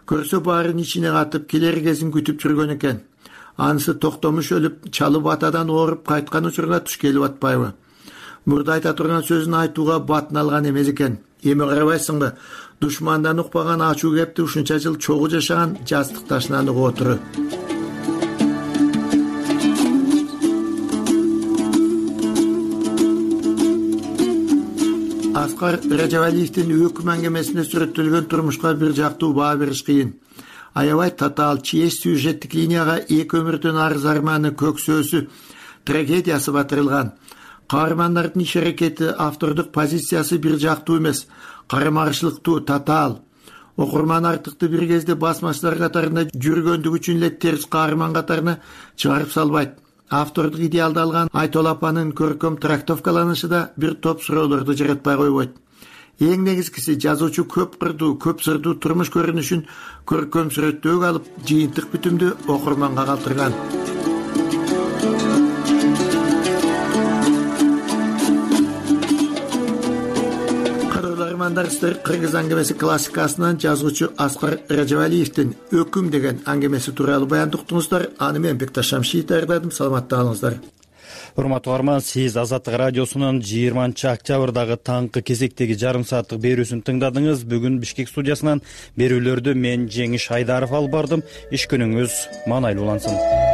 Көрсө баарын ичине катып, келер кезин күтүп жүргөн экен. Анысы Токтомуш өлүп, чалы батадан ооруп кайткан учурда туш келип атпайбы? Мурда айта турган сөзүн айтууга батын алган эмес экен. Эми карабайсыңбы? Душмандан укпаган ачуу кепти ушунча жыл чогуу жашаган жастык ташынан угуп отуру. Аскар Ражабалиевдин өкүм аңгемесинде сүрөттөлгөн турмушка бир жактуу баа бериш кыйын. Аябай татаал, чеч сюжеттик линияга эки өмүрдөн арыз арманы, көксөөсү, трагедиясы батырылган. Каармандардын иш аракети, автордук позициясы бир жактуу эмес, карама-каршылыктуу, татаал. Окурман Артыкты бир кезде басмачылар катарында жүргөндүгү үчүн эле терс каарман катарына чыгарып салбайт. Автордук идеалды алган Айтол апанын көркөм трактовкаланышы да бир топ суроолорду жаратпай койбойт. Эң негизгиси, жазуучу көп кырдуу, көп сырдуу турмуш көрүнүшүн көркөм сүрөттөөгө алып, жыйынтык бүтүмдү окурманга калтырган. Кыргыз аңгемеси классикасынан жазуучу Аскар Ражабалиевдин өкүм деген аңгемеси тууралуу баянды уктуңуздар. Аны мен Бекташ Шамшиев даярдадым. Саламатта калыңыздар. Урматтуу угарман, сиз Азаттык радиосунун 20-октябрдагы таңкы кезектеги жарым сааттык берүүсүн тыңдадыңыз. Бүгүн Бишкек студиясынан берүүлөрдү мен Жеңиш Айдаров алып бардым. Иш күнүңүз маанайлуу улансын.